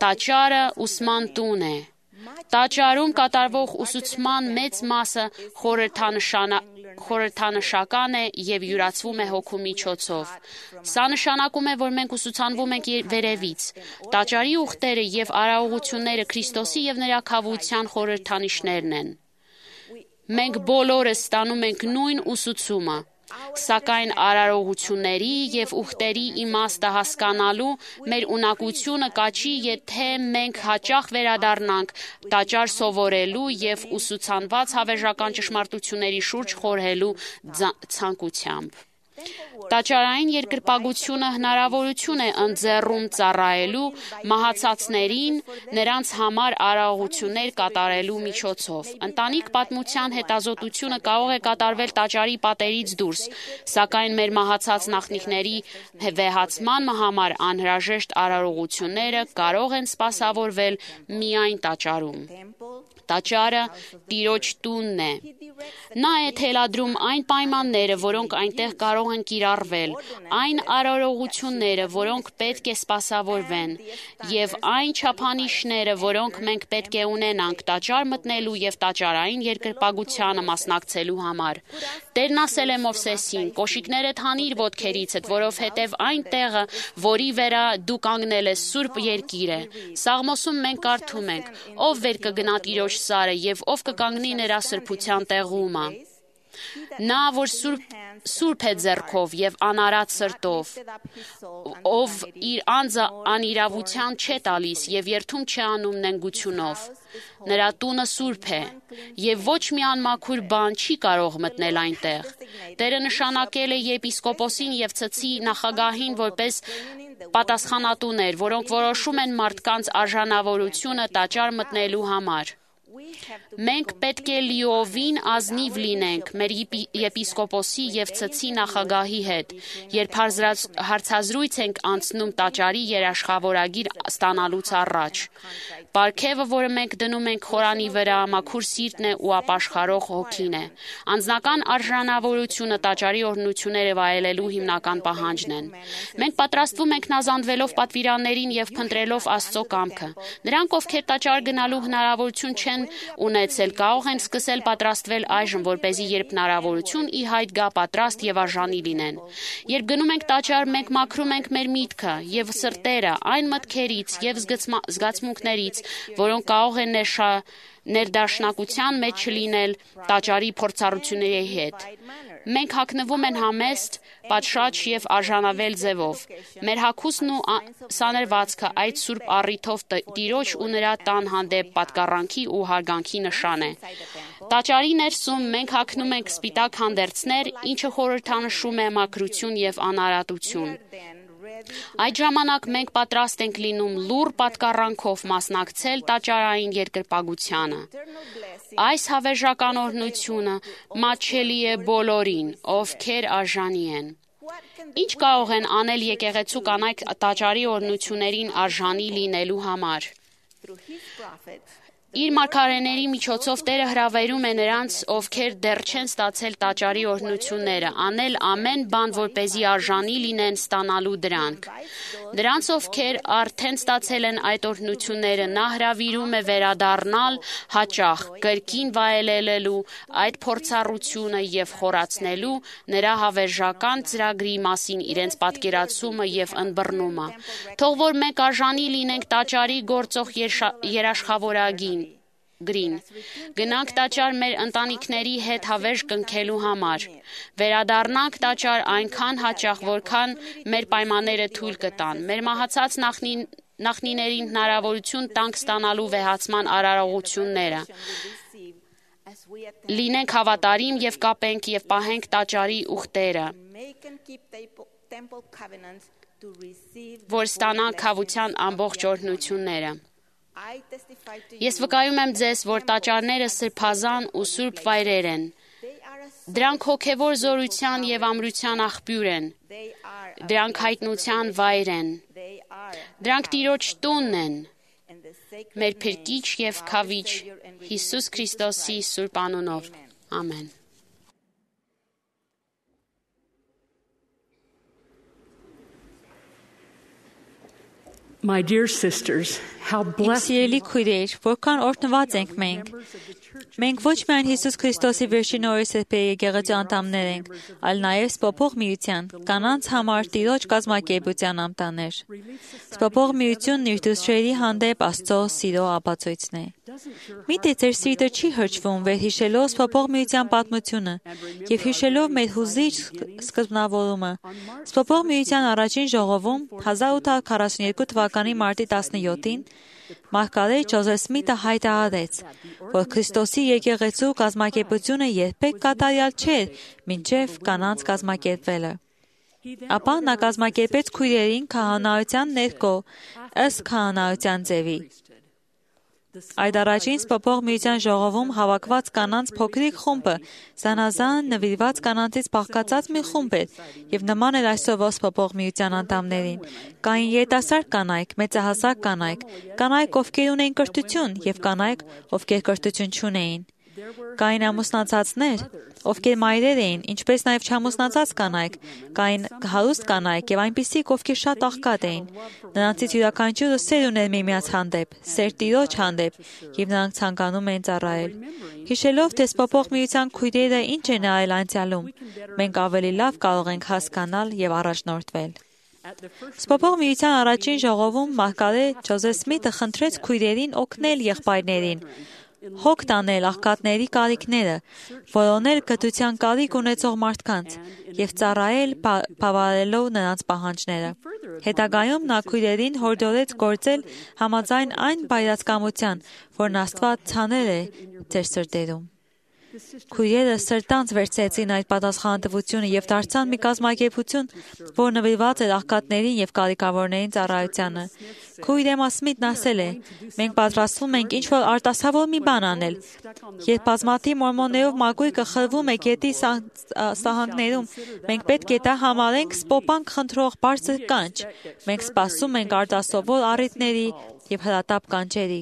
Տաճարը ուսման տուն է։ Տաճարում կատարվող ուսուցման մեծ մասը խորհրդանշական է և յուրացվում է Հոգու միջոցով։ Սա նշանակում է, որ մենք ուսուցանվում ենք վերևից։ Տաճարի ուխտերը և արարողությունները Քրիստոսի և նրա քավության խորհրդանիշներն են։ Մենք բոլորս ստանում ենք նույն ուսուցումը, սակայն արարողությունների և ուխտերի իմաստը հասկանալու մեր ունակությունը կաչի, եթե մենք հաճախ վերադառնանք տաճար սովորելու և ուսուցանված հավերժական ճշմարտությունների շուրջ խորհելու ցանկությամբ։ Տաճարային երկրպագությունը հնարավորություն է ընձեռում ծառայելու մահացածներին նրանց համար արարողություններ կատարելու միջոցով։ Ընտանիք պատմության հետազոտությունը կարող է կատարվել տաճարի պատերից դուրս, սակայն մեր մահացած նախնիների վեհացման համար անհրաժեշտ արարողությունները կարող են սպասավորվել միայն տաճարում։ Տաճարը Տիրոջ տունն է։ Նա է թելադրում այն պայմանները, որոնք այնտեղ կարող են կիրառվել, այն արարողությունները, որոնք պետք է սպասավորվեն, և այն չափանիշները, որոնք մենք պետք է ունենանք տաճար մտնելու և տաճարային երկրպագությանը մասնակցելու համար։ Տերն ասել է Մովսեսին. «Կոշիկներդ հանիր ոտքերիցդ, որովհետև այն տեղը, որի վրա դու կանգնել ես, սուրբ երկիր է»։ Սաղմոսում մենք կարդում ենք. «Ով վեր կգնա Տիրոջ սարը և ով կկանգնի նրա սրբության տեղումը։ Նա, որ սուրբ է ձեռքով և անարատ սրտով, ով իր անձը անիրավության չէ տալիս և երդում չի անում նենգությունով, նրա տունը սուրբ է, և ոչ մի անմաքուր բան չի կարող մտնել այնտեղ»։ Տերը նշանակել է եպիսկոպոսին և ցցի նախագահին որպես պատասխանատուներ, որոնք որոշում են մարդկանց արժանավորությունը տաճար մտնելու համար։ Մենք պետք է լիովին ազնիվ լինենք մեր եպիսկոպոսի և ցցի նախագահի հետ, երբ հարցազրույց ենք անցնում տաճարի երաշխավորագիր ստանալուց առաջ։ Պարգևը, որը մենք դնում ենք խորանի վրա, մաքուր սիրտն է ու ապաշխարող հոգին է։ Անձնական արժանավորությունը տաճարի օրհնությունները վայելելու հիմնական պահանջն են։ Մենք պատրաստվում ենք նազանդվելով պատվիրաններին և փնտրելով Աստծո կամքը։ Նրանք, ովքեր տաճար գնալու հնարավորություն չեն ունեցել, կարող են սկսել պատրաստվել այժմ, որպեսզի երբ հնարավորություն ի հայտ գա, պատրաստ և արժանի լինեն։ Երբ գնում ենք տաճար, մենք մաքրում ենք մեր միտքը և սրտերը այն մտքերից և զգացմունքներից, որոնք կարող են ներդաշնակության մեջ չլինել տաճարի փորձառությունների հետ։ Մենք հագնվում են համեստ, պատշաճ և արժանավել ձևով։ Մեր հագուստն ու սանրվածքը այդ սուրբ առիթով Տիրոջ ու նրա տան հանդեպ պատկառանքի ու հարգանքի նշան է։ Տաճարի ներսում մենք հագնում ենք սպիտակ հանդերձներ, ինչը խորհրդանշում է մաքրություն եւ անարատություն։ Այդ ժամանակ մենք պատրաստ ենք լինում լուռ պատկառանքով մասնակցել տաճարային երկրպագությանը։ Այս հավերժական օրհնությունը մատչելի է բոլորին, ովքեր արժանի են։ Ինչ կարող են անել եկեղեցու կանայք տաճարի օրհնություններին արժանի լինելու համար։ Իր մարգարեների միջոցով Տերը հրավիրում է նրանց, ովքեր դեռ չեն ստացել տաճարի օրհնությունները, անել ամեն բան, որպեսզի արժանի լինեն ստանալու դրանք։ Նրանց, ովքեր արդեն ստացել են այդ օրհնությունները, նա հրավիրում է վերադառնալ հաճախ, կրկին վայելելու այդ փորձառությունը եւ խորացնելու նրա հավերժական ծրագրի մասին իրենց պատկերացումը եւ ըմբռնումը։ Թող որ մենք արժանի լինենք տաճարի գործող երաշխավորագին։ Գնանք տաճար մեր ընտանիքների հետ հավերժ կնքելու համար։ Վերադառնանք տաճար այնքան հաճախ, որքան մեր պայմանները թույլ կտան։ Մեր մահացած նախնիներին հնարավորություն տանք ստանալու վեհացման արարողությունները։ Լինենք հավատարիմ եւ կապենք եւ պահենք տաճարի ուխտերը, որ ստանանք քավության ամբողջ օրհնությունները։ Ես վկայում եմ ձեզ, որ տաճարները սրբազան ու սուրբ վայրեր են։ Դրանք հոգևոր զորության եւ ամրության աղբյուր են։ Դրանք հայտնության վայր են։ Դրանք Տիրոջ տունն են։ Մեր Փրկիչ եւ Քավիչ Հիսուս Քրիստոսի սուրբ անունով։ Ամեն։ My dear sisters, how blessed Սիրելի քույրեր, որքան օրհնված ենք մենք։ Մենք ոչ միայն Հիսուս Քրիստոսի վերջին օրի սրբերի եկեղեցու անդամներ ենք, այլ նաև Սփոփող միության կանանց համար Տիրոջ կազմակերպության անդամներ։ Սփոփող միությունն իր դուստրերի հանդեպ Աստծո սիրո ապացույցն է։ Միթե ձեր սիրտը չի հրճվում վերհիշելով Սփոփող միության պատմությունը եւ հիշելով մեր հուզիչ սկզբնավորումը։ Սփոփող միության առաջին ժողովում 1842 թվականի մարտի 17-ին Մարգարետ Ջոզեֆ Սմիթը հայտարարեց, որ Քրիստոսի եկեղեցու կազմակերպությունը երբեք կատարյալ չէր, մինչև կանանց կազմակերպվելը։ Ապա նա կազմակերպեց քույրերին քահանայության ներքո, ըստ քահանայության ձևի։ Այդ առաջին Սփոփող միության ժողովում հավաքված կանանց փոքրիկ խումբը զանազան նվիրված կանանցից բաղկացած մի խումբ էր եւ նման էր այսօրվա Սփոփող միության անդամներին։ Կային երիտասարդ կանայք, մեծահասակ կանայք, կանայք, ովքեր ունեին կրթություն եւ կանայք, ովքեր կրթություն չունեին։ Կային ամուսնացածներ, ովքեր մայրեր էին, ինչպես նաև չամուսնացած կանայք, կային հարուստ կանայք եւ այնպիսիք, ովքեր շատ աղքատ էին։ Նրանցից յուրաքանչյուրը սեր ուներ միմյանց հանդեպ, սեր Տիրոջ հանդեպ, եւ նրանք ցանկանում էին ծառայել։ Հիշելով, թե Սփոփող միության քույրերը ինչ են արել անցյալում, մենք ավելի լավ կարող ենք հասկանալ եւ առաջնորդվել։ Սփոփող միության առաջին ժողովում Մարգարետ Ջոզեֆ Սմիթը խնդրեց քույրերին օգնել եղբայրներին, հոգ տանել աղքատների կարիքները, որոնել կրթության կարիք ունեցող մարդկանց եւ ծառայել բավարարելով նրանց պահանջները։ Հետագայում նա քույրերին հորդորեց գործել համաձայն այն բայրացկամության, որն Աստված ցանել է ձեր սրտերում։ Քույրերը սրտանց վերցրեցին այդ պատասխանատվությունը եւ դարձան մի կազմակերպություն, որ նվիրված էր աղքատներին եւ կարիքավորներին ծառայությանը։ Քույր Էմմա Սմիթն ասել է. «Մենք պատրաստվում ենք ինչ-որ արտասովոր մի բան անել։ Երբ բազմաթիվ մորմոններով մակույկը խրվում է գետի սահանքներում, մենք պետք է դա համարենք սպոպանք խնդրող բարձր կանչ։ Մենք սպասում ենք արտասովոր առիթների եւ հրատապ կանչերի։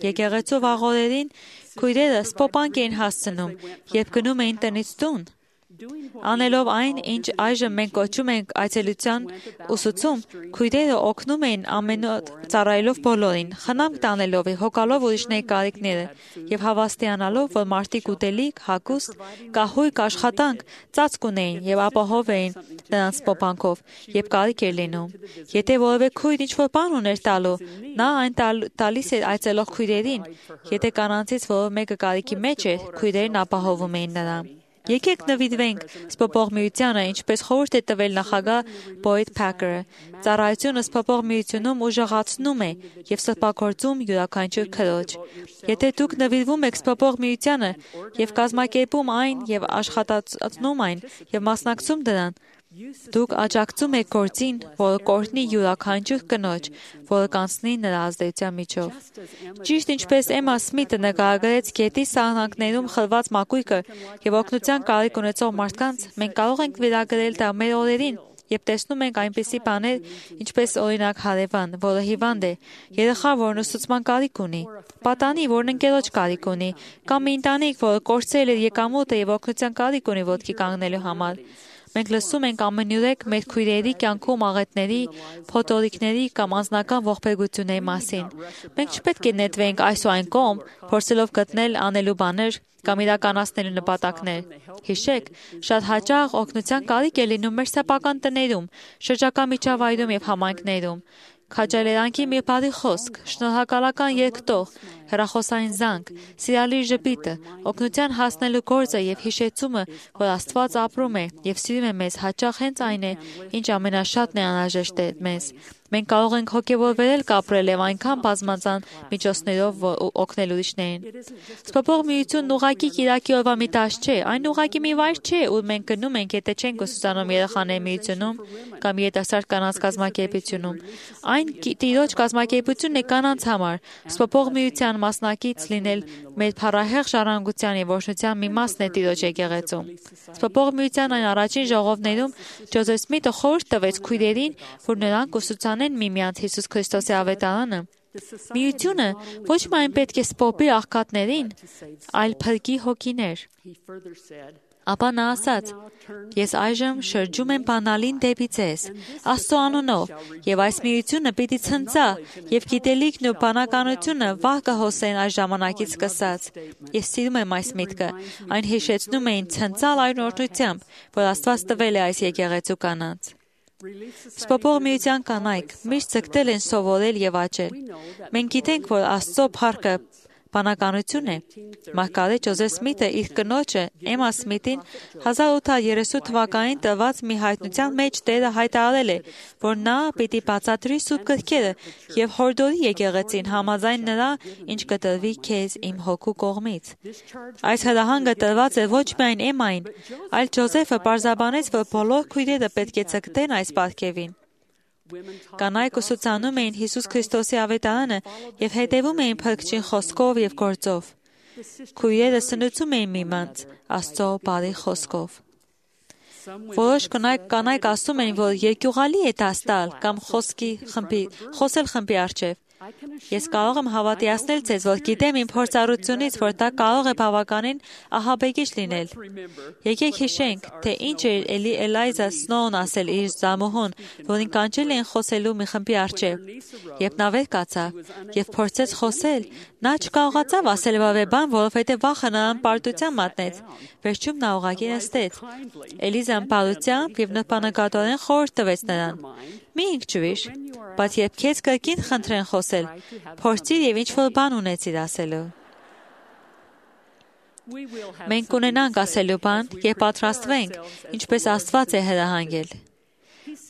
Եկեղեցու վաղօրերին քույրերը սպոպանք էին հասցնում, երբ գնում էին տնից տուն։ Անելով այն, ինչ այժմ մենք կոչում ենք այցելության ուսուցում, քույրերը օգնում էին ամենուր ծառայելով բոլորին, խնամք տանելով եւ հոգալով ուրիշների կարիքները եւ հավաստիանալով, որ մարդիկ ուտելիք, հագուստ, կահույք աշխատանք ծածկ ունեին եւ ապահով էին նրանց սպոպանքով, երբ կարիք էր լինում։ Եթե որևէ քույր ինչ-որ բան ուներ տալու, նա այն տալիս էր այցելող քույրերին։ Եթե կանանցից որևէ մեկը կարիքի մեջ էր, քույրերն ապահովում էին նրան։ Եկեք նվիրվենք սփոփող միությանը, ինչպես խորհուրդ է տվել նախագահ Բոյդ Փաքերը։ Ծառայությունը սփոփող միությունում ուժեղացնում է եւ սրբագործում յուրաքանչյուր քրոջ։ Եթե դուք նվիրվում եք սփոփող միությանը եւ կազմակերպում այն եւ աշխատացնում այն եւ մասնակցում դրան, դուք աջակցում եք գործին, որը կօրհնի յուրաքանչյուր կնոջ, որը կանցնի նրա ազդեցության միջով։ Ճիշտ ինչպես Էմմա Սմիթը նկարագրեց գետի սահնակներում խլված մակույկը եւ օգնության կարիք ունեցող մարդկանց, մենք կարող ենք վերագրել դա մեր օրերին եւ տեսնում ենք այնպիսի բաներ, ինչպես օրինակ հարևան, որը հիվանդ է, երեխա, որն ուսուցման կարիք ունի, պատանի, որն ընկերոջ կարիք ունի, կամ մի ընտանիք, որը կորցրել է եկամուտը եւ օգնության կարիք ունի ոտքի կանգնելու համար։ Մենք լսում ենք ամենուրեք մեր քույրերի կյանքում աղետների, փոթորիկների կամ անձնական ողբերգությունների մասին։ Մենք չպետք է նետվենք այս ու այն կողմ, փորձելով գտնել անելու բաներ կամ իրականացնելու նպատակներ։ Հիշեք, շատ հաճախ օգնության կարիք է լինում մեր սեփական տներում, շրջակա միջավայրում եւ համայնքներում։ Քաջալերանքի մի բարի խոսք, շնորհակալական երգտող, հեռախոսային զանգ, սիրալիր ժպիտը, օգնության հասնելու գործը եւ հիշեցումը, որ Աստված ապրում է եւ սիրում է մեզ, հաճախ հենց այն է, ինչ ամենաշատն է անհրաժեշտ է մեզ։ Մենք կարող ենք հոգեվորվել կապրել եւ այնքան բազմազան միջոցներով օգնել ուրիշներին։ Սփոփող միությունն ուղղակի Կիրակի օրվա մի տաշ չէ, այն ուղղակի մի վայր չէ, ուր մենք գնում ենք, եթե չենք ուսուցանում երեխաների միությունում կամ երիտասարդ կանանց կազմակերպությունում։ Այն Տիրոջ կազմակերպությունն է կանանց համար։ Սփոփող միության մասնակից լինել մեր փառահեղ ժառանգության եւ օրհնության մի մասն է Տիրոջ եկեղեցում։ Սփոփող միության այն առաջին ժողովներում Ջոզեֆ Սմիթը խորհուրդ տվեց քույրերին, որ նրանք ուսուցանեն միմյանց Հիսուս Քրիստոսի ավետարանը։ Միությունը ոչ միայն պետք է սփոփի աղքատներին, այլ փրկի հոգիներ։ Ապա նա ասաց. «Ես այժմ շրջում եմ բանալին դեպի ձեզ, Աստծո անունով, եւ այս միությունը պիտի ցնծա, եւ գիտելիքն ու բանականությունը վաղ կհոսեն այս ժամանակից սկսած»։ Ես սիրում եմ այս միտքը, այն հիշեցնում է ինձ ցնծալ այն օրհնությամբ, որ Աստված տվել է այս եկեղեցու կանանց։ Սփոփող միության կանայք միշտ ձգտել են սովորել եւ աճել։ Մենք գիտենք, որ Աստծո փառքը բանականություն է։ Մարգարետ Ջոզեֆ Սմիթը իր կնոջը Էմմա Սմիթին 1830 թվականին տված մի հայտնության մեջ Տերը հայտարարել է, որ նա պիտի բացատրի սուրբ գրքերը եւ հորդորի եկեղեցին համաձայն նրա, ինչ կտրվի քեզ իմ հոգու կողմից։ Այս հրահանգը տրված է ոչ միայն Էմմային, այլ Ջոզեֆը պարզաբանեց, որ բոլոր քույրերը պետք է ձգտեն այս պարգևին։ Կանայք ուսուցանում էին Հիսուս Քրիստոսի ավետարանը եւ հետևում էին Փրկչին խոսքով եւ գործով։ Քույրերը սնուցում էին միմյանց Աստծո բարի խոսքով։ Որոշ կանայք ասում էին, որ երկյուղալի է դաս տալ կամ խոսել խմբի առջև։ Ես կարող եմ հավատացնել ձեզ, որ գիտեմ իմ փորձառությունից, որ դա կարող է բավականին ահաբեկիչ լինել։ Եկեք հիշենք, թե ինչ էր Էլիզա Սնոուն ասել իր զամուհուն, որին կանչել էին խոսելու մի խմբի առջև։ Երբ նա վեր կացավ եւ փորձեց խոսել, նա չկարողացավ ասել որևէ բան, որովհետեւ վախը նրան պարտության մատնեց։ Վերջում նա ուղղակի նստեց։ Էլիզան բարությամբ եւ նպանակատորեն խորհուրդ տվեց նրան. «Մի ինքջուիր, բայց երբ քեզ կրկին խնդրեն խոսել, փորձիր եւ ինչ-որ բան ունեցիր ասելու»։ Մենք կունենանք ասելու բան, երբ պատրաստվենք, ինչպես Աստված է հրահանգել։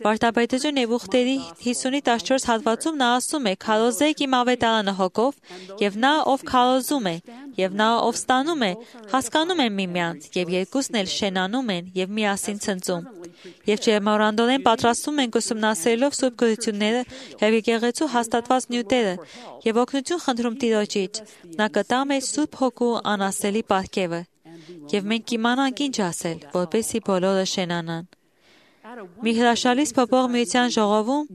Վարդապետություն եւ ուխտերի 50-14 հատվածում նա ասում է. «Քարոզեք իմ ավետարանը հոգով, եւ նա, ով քարոզում է, եւ նա, ով ստանում է, հասկանում են միմյանց, եւ երկուսն էլ շենանում են եւ միասին ցնծում։ Եվ ջերմորանդորեն պատրաստվում ենք ուսումնասիրելով սուրբ գրությունները եւ եկեղեցու հաստատված նյութերը, եւ օգնություն խնդրում Տիրոջից, նա կտա մեզ սուրբ հոգու անասելի պարգևը, եւ մենք կիմանանք ինչ ասել, որպեսզի բոլորը շենանան»։ Մի հրաշալի սփոփող միության ժողովում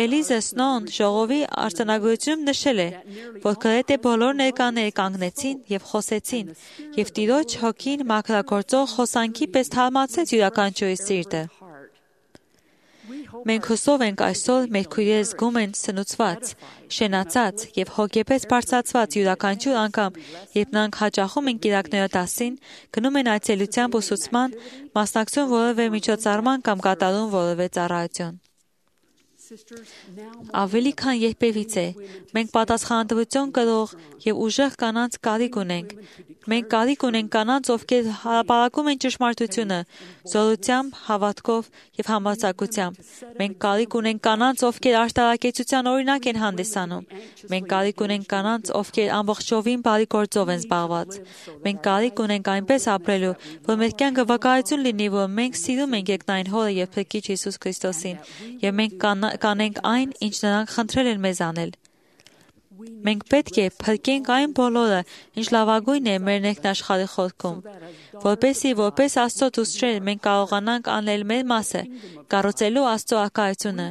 Էլիզա Սնոուն ժողովի արձանագրությունում նշել է, որ գրեթե բոլոր ներկաները կանգնեցին եւ խոսեցին, եւ Տիրոջ հոգին մաքրագործող հոսանքի պես թարմացեց յուրաքանչյուրի սիրտը։ Մենք հուսով ենք այսօր մեր քույրերը զգում են սնուցված, շենացած եւ հոգեպես բարձրացված յուրաքանչյուր անգամ, երբ նրանք հաճախում են կիրակները դասին, գնում են այցելությամբ ուսուցման, մասնակցում որևէ միջոցառման կամ կատարում որևէ ծառայություն։ Ավելի քան երբևիցե, մենք պատասխանատվություն կրող եւ ուժեղ կանանց կարիք ունենք։ Մենք կարիք ունենք կանանց, ովքեր հրապարակում են ճշմարտությունը, զորությամբ, հավատքով եւ համարձակությամբ։ Մենք կարիք ունենք կանանց, ովքեր արտարակեցության օրինակ են հանդիսանում։ Մենք կարիք ունենք կանանց, ովքեր ամբողջովին բարի գործով են զբաղված։ Մենք կարիք ունենք այնպես ապրելու, որ մեր կյանքը վկայություն լինի, որ մենք սիրում ենք երկնային Հորը եւ Փրկիչ Հիսուս Քրիստոսին, եւ մենք կանենք այն, ինչ նրանք խնդրել են մեզ անել։ Մենք պետք է փրկենք այն բոլորը, ինչ լավագույն է մեր ներքնաշխարհի խորքում, որպեսզի որպես Աստծո դուստրեր մենք կարողանանք անել մեր մասը, կառուցելու Աստծո արկայությունը։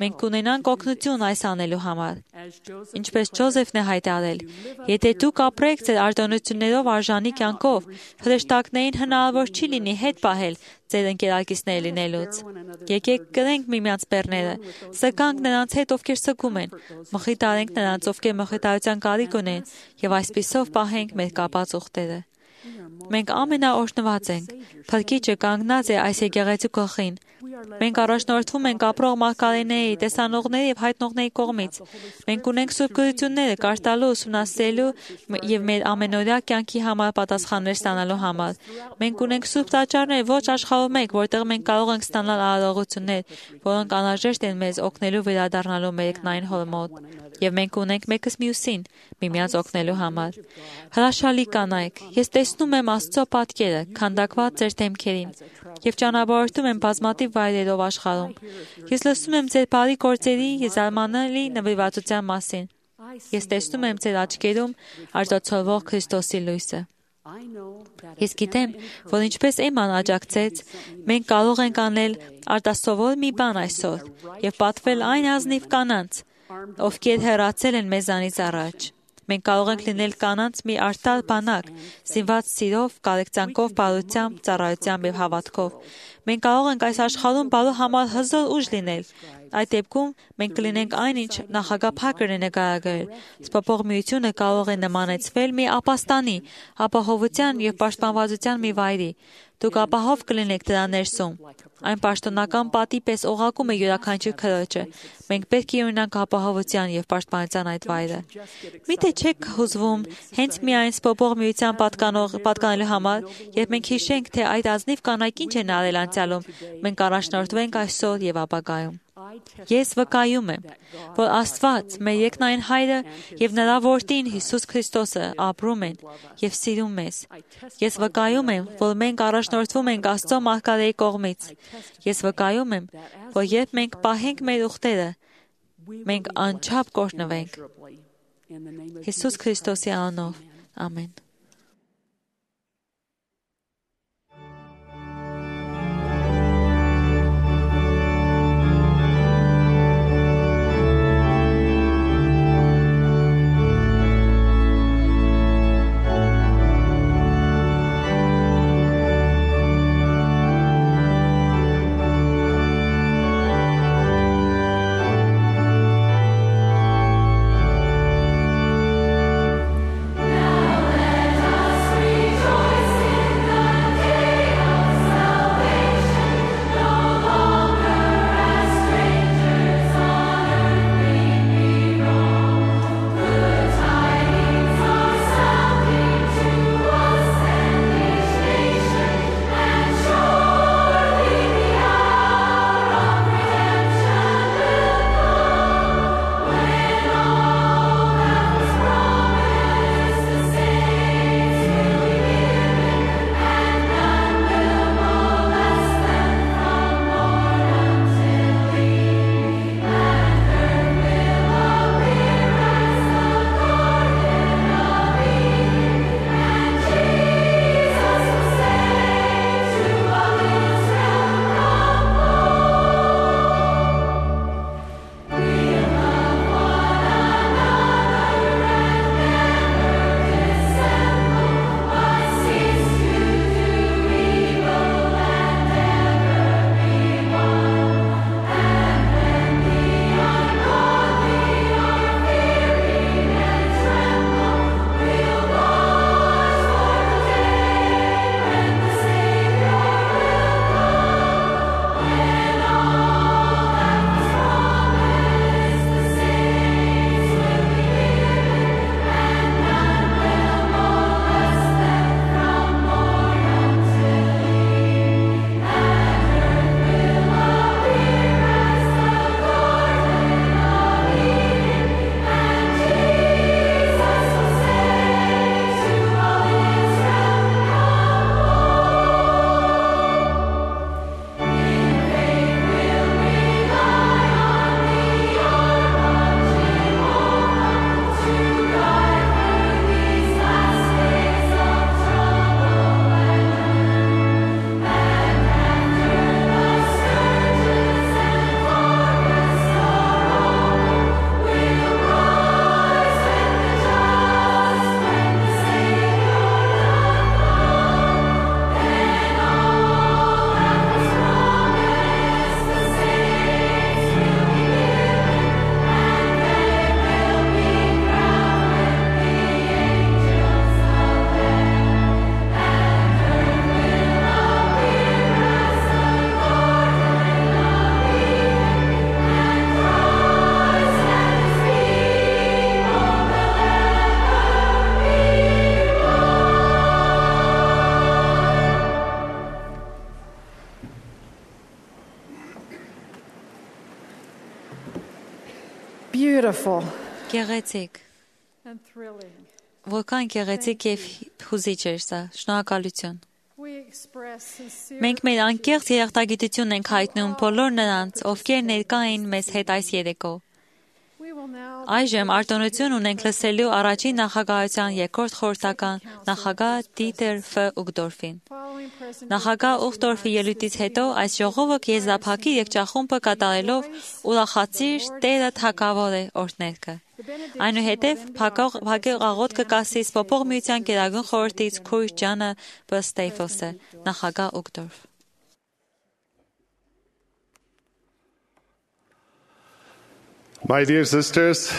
Մենք կունենանք օգնություն այս անելու համար։ Ինչպես Ջոզեֆն է հայտարարել, եթե դուք ապրեք ձեր արտոնություններով արժանի կյանքով, հրեշտակներին հնարավոր չի լինի հետ պահել ձեր ընկերակիցներ լինելուց։ Եկեք կրենք միմյանց բեռները, սգանք նրանց հետ, ովքեր սգում են, մխիթարենք նրանց, ովքեր մխիթարության կարիք ունեն, եւ այսպիսով պահենք մեր կապած ուխտերը։ Մենք ամենաօրհնված ենք։ Փրկիչը կանգնած է այս եկեղեցու գլխին։ Մենք առաջնորդվում ենք ապրող մարգարեների, տեսանողների եւ հայտնողների կողմից։ Մենք ունենք սուրբ գրությունները կարդալու, ուսումնասիրելու եւ մեր ամենօրյա կյանքի համար պատասխաններ ստանալու համար։ Մենք ունենք սուրբ տաճարներ ոչ աշխարհում մեկ, որտեղ մենք կարող ենք ստանալ արարողություններ, որոնք անհրաժեշտ են մեզ օգնելու վերադառնալու մեր երկնային Հոր մոտ։ Եվ մենք ունենք մեկս մյուսին միմյանց օգնելու համար։ Հրաշալի կանայք, ես տեսնում եմ Աստծո պատկերը, քանդակված ձեր դեմքերին, եւ ճանապարհորդում եմ բազմաթիվ վայրերով աշխարհում։ Ես լսում եմ ձեր բարի գործերի եւ զարմանալի նվիրվածության մասին։ Ես տեսնում եմ ձեր աչքերում արտացոլվող Քրիստոսի լույսը։ Ես գիտեմ, որ ինչպես Էման աջակցեց, մենք կարող ենք անել արտասովոր մի բան այսօր եւ պատվել այն ազնիվ կանանց, ովքեր հեռացել են մեզանից առաջ։ Մենք կարող ենք լինել կանանց մի արտար բանակ, սինված սիրով, կարեկցանքով, բարությամբ, ծառայությամբ եւ հավատքով։ Մենք կարող ենք այս աշխարհում բարու համար հզոր ուժ լինել։ Այդ դեպքում մենք կլինենք այն, ինչ նախագահ Փակերն է նկարագրել։ Սփոփող միությունը կարող է նմանեցվել մի ապաստանի, ապահովության եւ պաշտպանվածության մի վայրի։ Դուք ապահով կլինեք դրա ներսում։ Այն պաշտոնական պատի պես օղակում է յուրաքանչյուր քրոջը։ Մենք պետք է ունենանք ապահովության եւ պաշտպանության այդ վայրը։ Միթե չեք հուզվում հենց միայն սփոփող միության պատկանելու համար, երբ մենք հիշենք, թե այդ ազնիվ կանայք ինչ են արել անցյալում, մենք առաջնորդվենք այսօր եւ ապագայում։ Ես վկայում եմ, որ Աստված, մեր երկնային Հայրը եւ նրա որդին Հիսուս Քրիստոսը ապրում են եւ սիրում մեզ։ Ես վկայում եմ, որ մենք առաջնորդվում ենք Աստծո մարգարեի կողմից։ Ես վկայում եմ, որ երբ մենք պահենք մեր ուխտերը, մենք անչափ կօրհնվենք։ Հիսուս Քրիստոսի անունով։ Ամեն։ Now beautiful Գեղեցիկ, and thrilling. որքան գեղեցիկ եւ հուզիչ էր սա։ Շնորհակալություն։ We express sincere Մենք մեր անկեղծ երախտագիտություն ենք հայտնում բոլոր նրանց, ովքեր ներկա էին մեզ հետ այս երեկո։ We will now Այժմ արտոնություն ունենք լսելու առաջին նախագահության երկրորդ խորհրդական նախագահ Դիտեր Ֆ. Ուգդորֆին։ following President Նախագահ Ուգդորֆի ելույթից հետո այս ժողովը եզրափակի եկճախումբը կատարելով ուրախացիր Տերը թագավոր է օրհներգը։ Այնուհետև փակող աղոթքը կասի Սպոպող միության գերագույն խորհրդից քույր Ջանը Բ. Ստեյֆլսը, նախագահ Ուգդորֆ։ My dear sisters,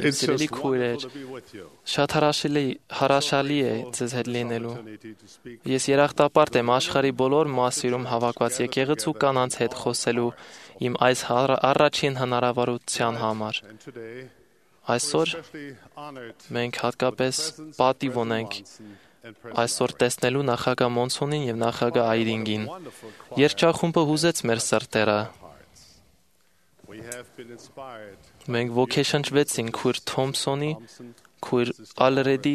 it's Սիրելի just քույրեր, wonderful to be with you. շատ հրաշալի է ձեզ հետ լինելու։ Ես երախտապարտ եմ աշխարհի բոլոր մասերում հավաքված եկեղեցու կանանց հետ խոսելու իմ այս առաջին հնարավորության համար։ And today, Այսօր especially honored մենք հատկապես պատիվ ունենք այսօր տեսնելու նախագահ Մոնսոնին եւ նախագահ Այրինգին։ Երգչախումբը հուզեց մեր սրտերը։ we have been inspired Մենք ոգեշնչվեցինք քույր Թոմսոնի, քույր Ալրեդի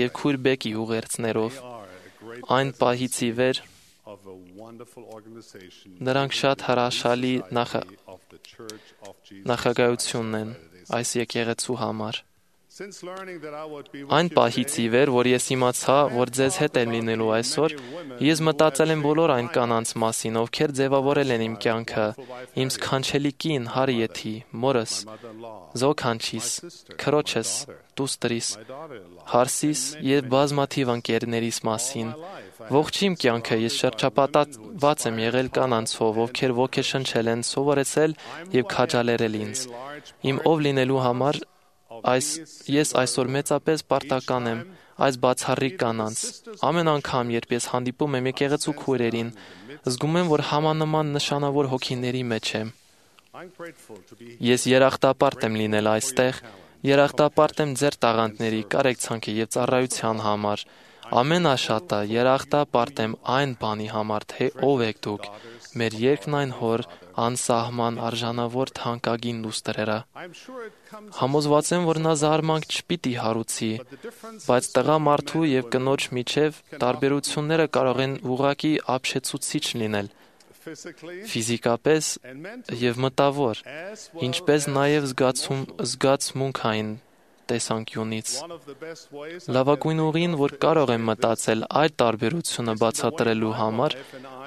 եւ քույր Բեկի ուղերձներով։ are a great Այն պահից ի վեր of a wonderful organization նրանք շատ հրաշալի of the Church of Jesus. նախագահությունն են այս եկեղեցու համար։ Since learning that I would be with Այն you պահից ի վեր, որ ես իմացա, որ ձեզ հետ եմ լինելու այսօր, ես մտածել եմ բոլոր այն կանանց մասին, ովքեր ձևավորել են իմ կյանքը, իմ սքանչելի կին, Հարիեթի, մորս, Զոքանչիս, քրոջս, դուստրիս, Հարսիս եւ բազմաթիվ ընկերներիս մասին։ Ողջ իմ կյանքը ես շրջապատված եմ եղել կանանցով, ովքեր ոգեշնչել են, սովորեցել եւ քաջալերել ինձ։ Իմ ով լինելու համար ես այսօր մեծապես պարտական եմ այս բացառիկ կանանց։ Ամեն անգամ, երբ ես հանդիպում եմ եկեղեցու քույրերին, զգում եմ, որ համանման նշանավոր հոգիների մեջ եմ։ I'm grateful to be Ես երախտապարտ եմ լինել այստեղ, երախտապարտ եմ ձեր տաղանդների, կարեկցանքի եւ ծառայության համար։ Ամենաշատը երախտապարտ եմ այն բանի համար, թե ով եք դուք։ Մեր երկն այն հոր անսահման արժանավոր թանկագին դուստրերը։ I'm sure it comes Համոզված եմ, որ նա զարմանք չպիտի հարուցի, բայց տղա մարդու եւ կնոջ միջև տարբերությունները կարող են ուղղակի ապշեցուցիչ լինել, physically ֆիզիկապես and mentally եւ մտավոր, as well ինչպես as նաեւ զգացմունքային տեսանկյունից։ one of the best ways Լավագույն ուղին, որ կարող եմ մտածել այդ տարբերությունը բացատրելու համար,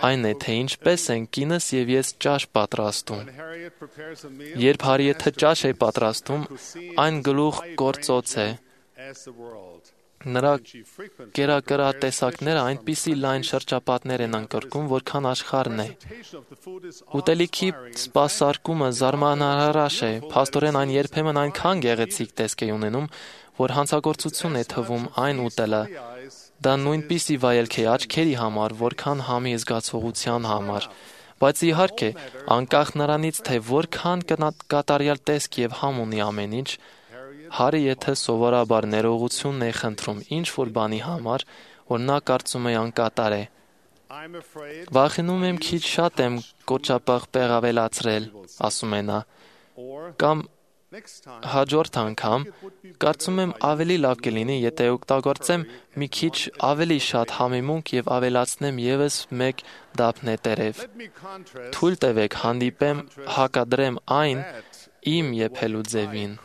այն է, թե ինչպես են կինս եւ ես ճաշ պատրաստում։ Harriet prepares a meal Երբ Հարիեթը ճաշ է պատրաստում, այն գլուխ գործոց է։ as the world. Նրա She frequently կերակրատեսակները այնպիսի լայն շրջապատներ են անկրկում, որքան աշխարհն է։ presentation of the food is Ուտելիքի սպասարկումը զարմանահրաշ է, փաստորեն այն երբեմն այնքան գեղեցիկ տեսք է ունենում, որ հանցագործություն է թվում այն ուտելը։ Դա նույնպիսի վայելք է աչքերի համար, որքան համի զգացողության համար։ Բայց իհարկե, անկախ նրանից, թե որքան կատարյալ տեսք եւ համ ունի ամեն ինչ, Հարիեթը սովորաբար ներողությունն է խնդրում ինչ-որ բանի համար, որ նա կարծում է անկատար է։ I'm afraid Վախենում եմ քիչ շատ եմ կոճապաղ ավելացրել, ասում է նա, or կամ next time հաջորդ անգամ կարծում եմ ավելի լավ կլինի, եթե օգտագործեմ մի քիչ ավելի շատ համեմունք եւ ավելացնեմ եւս մեկ դափ նետերև։ let me contrast Թույլ տվեք հանդիպեմ, հակադրեմ այն իմ եփելու ձևին։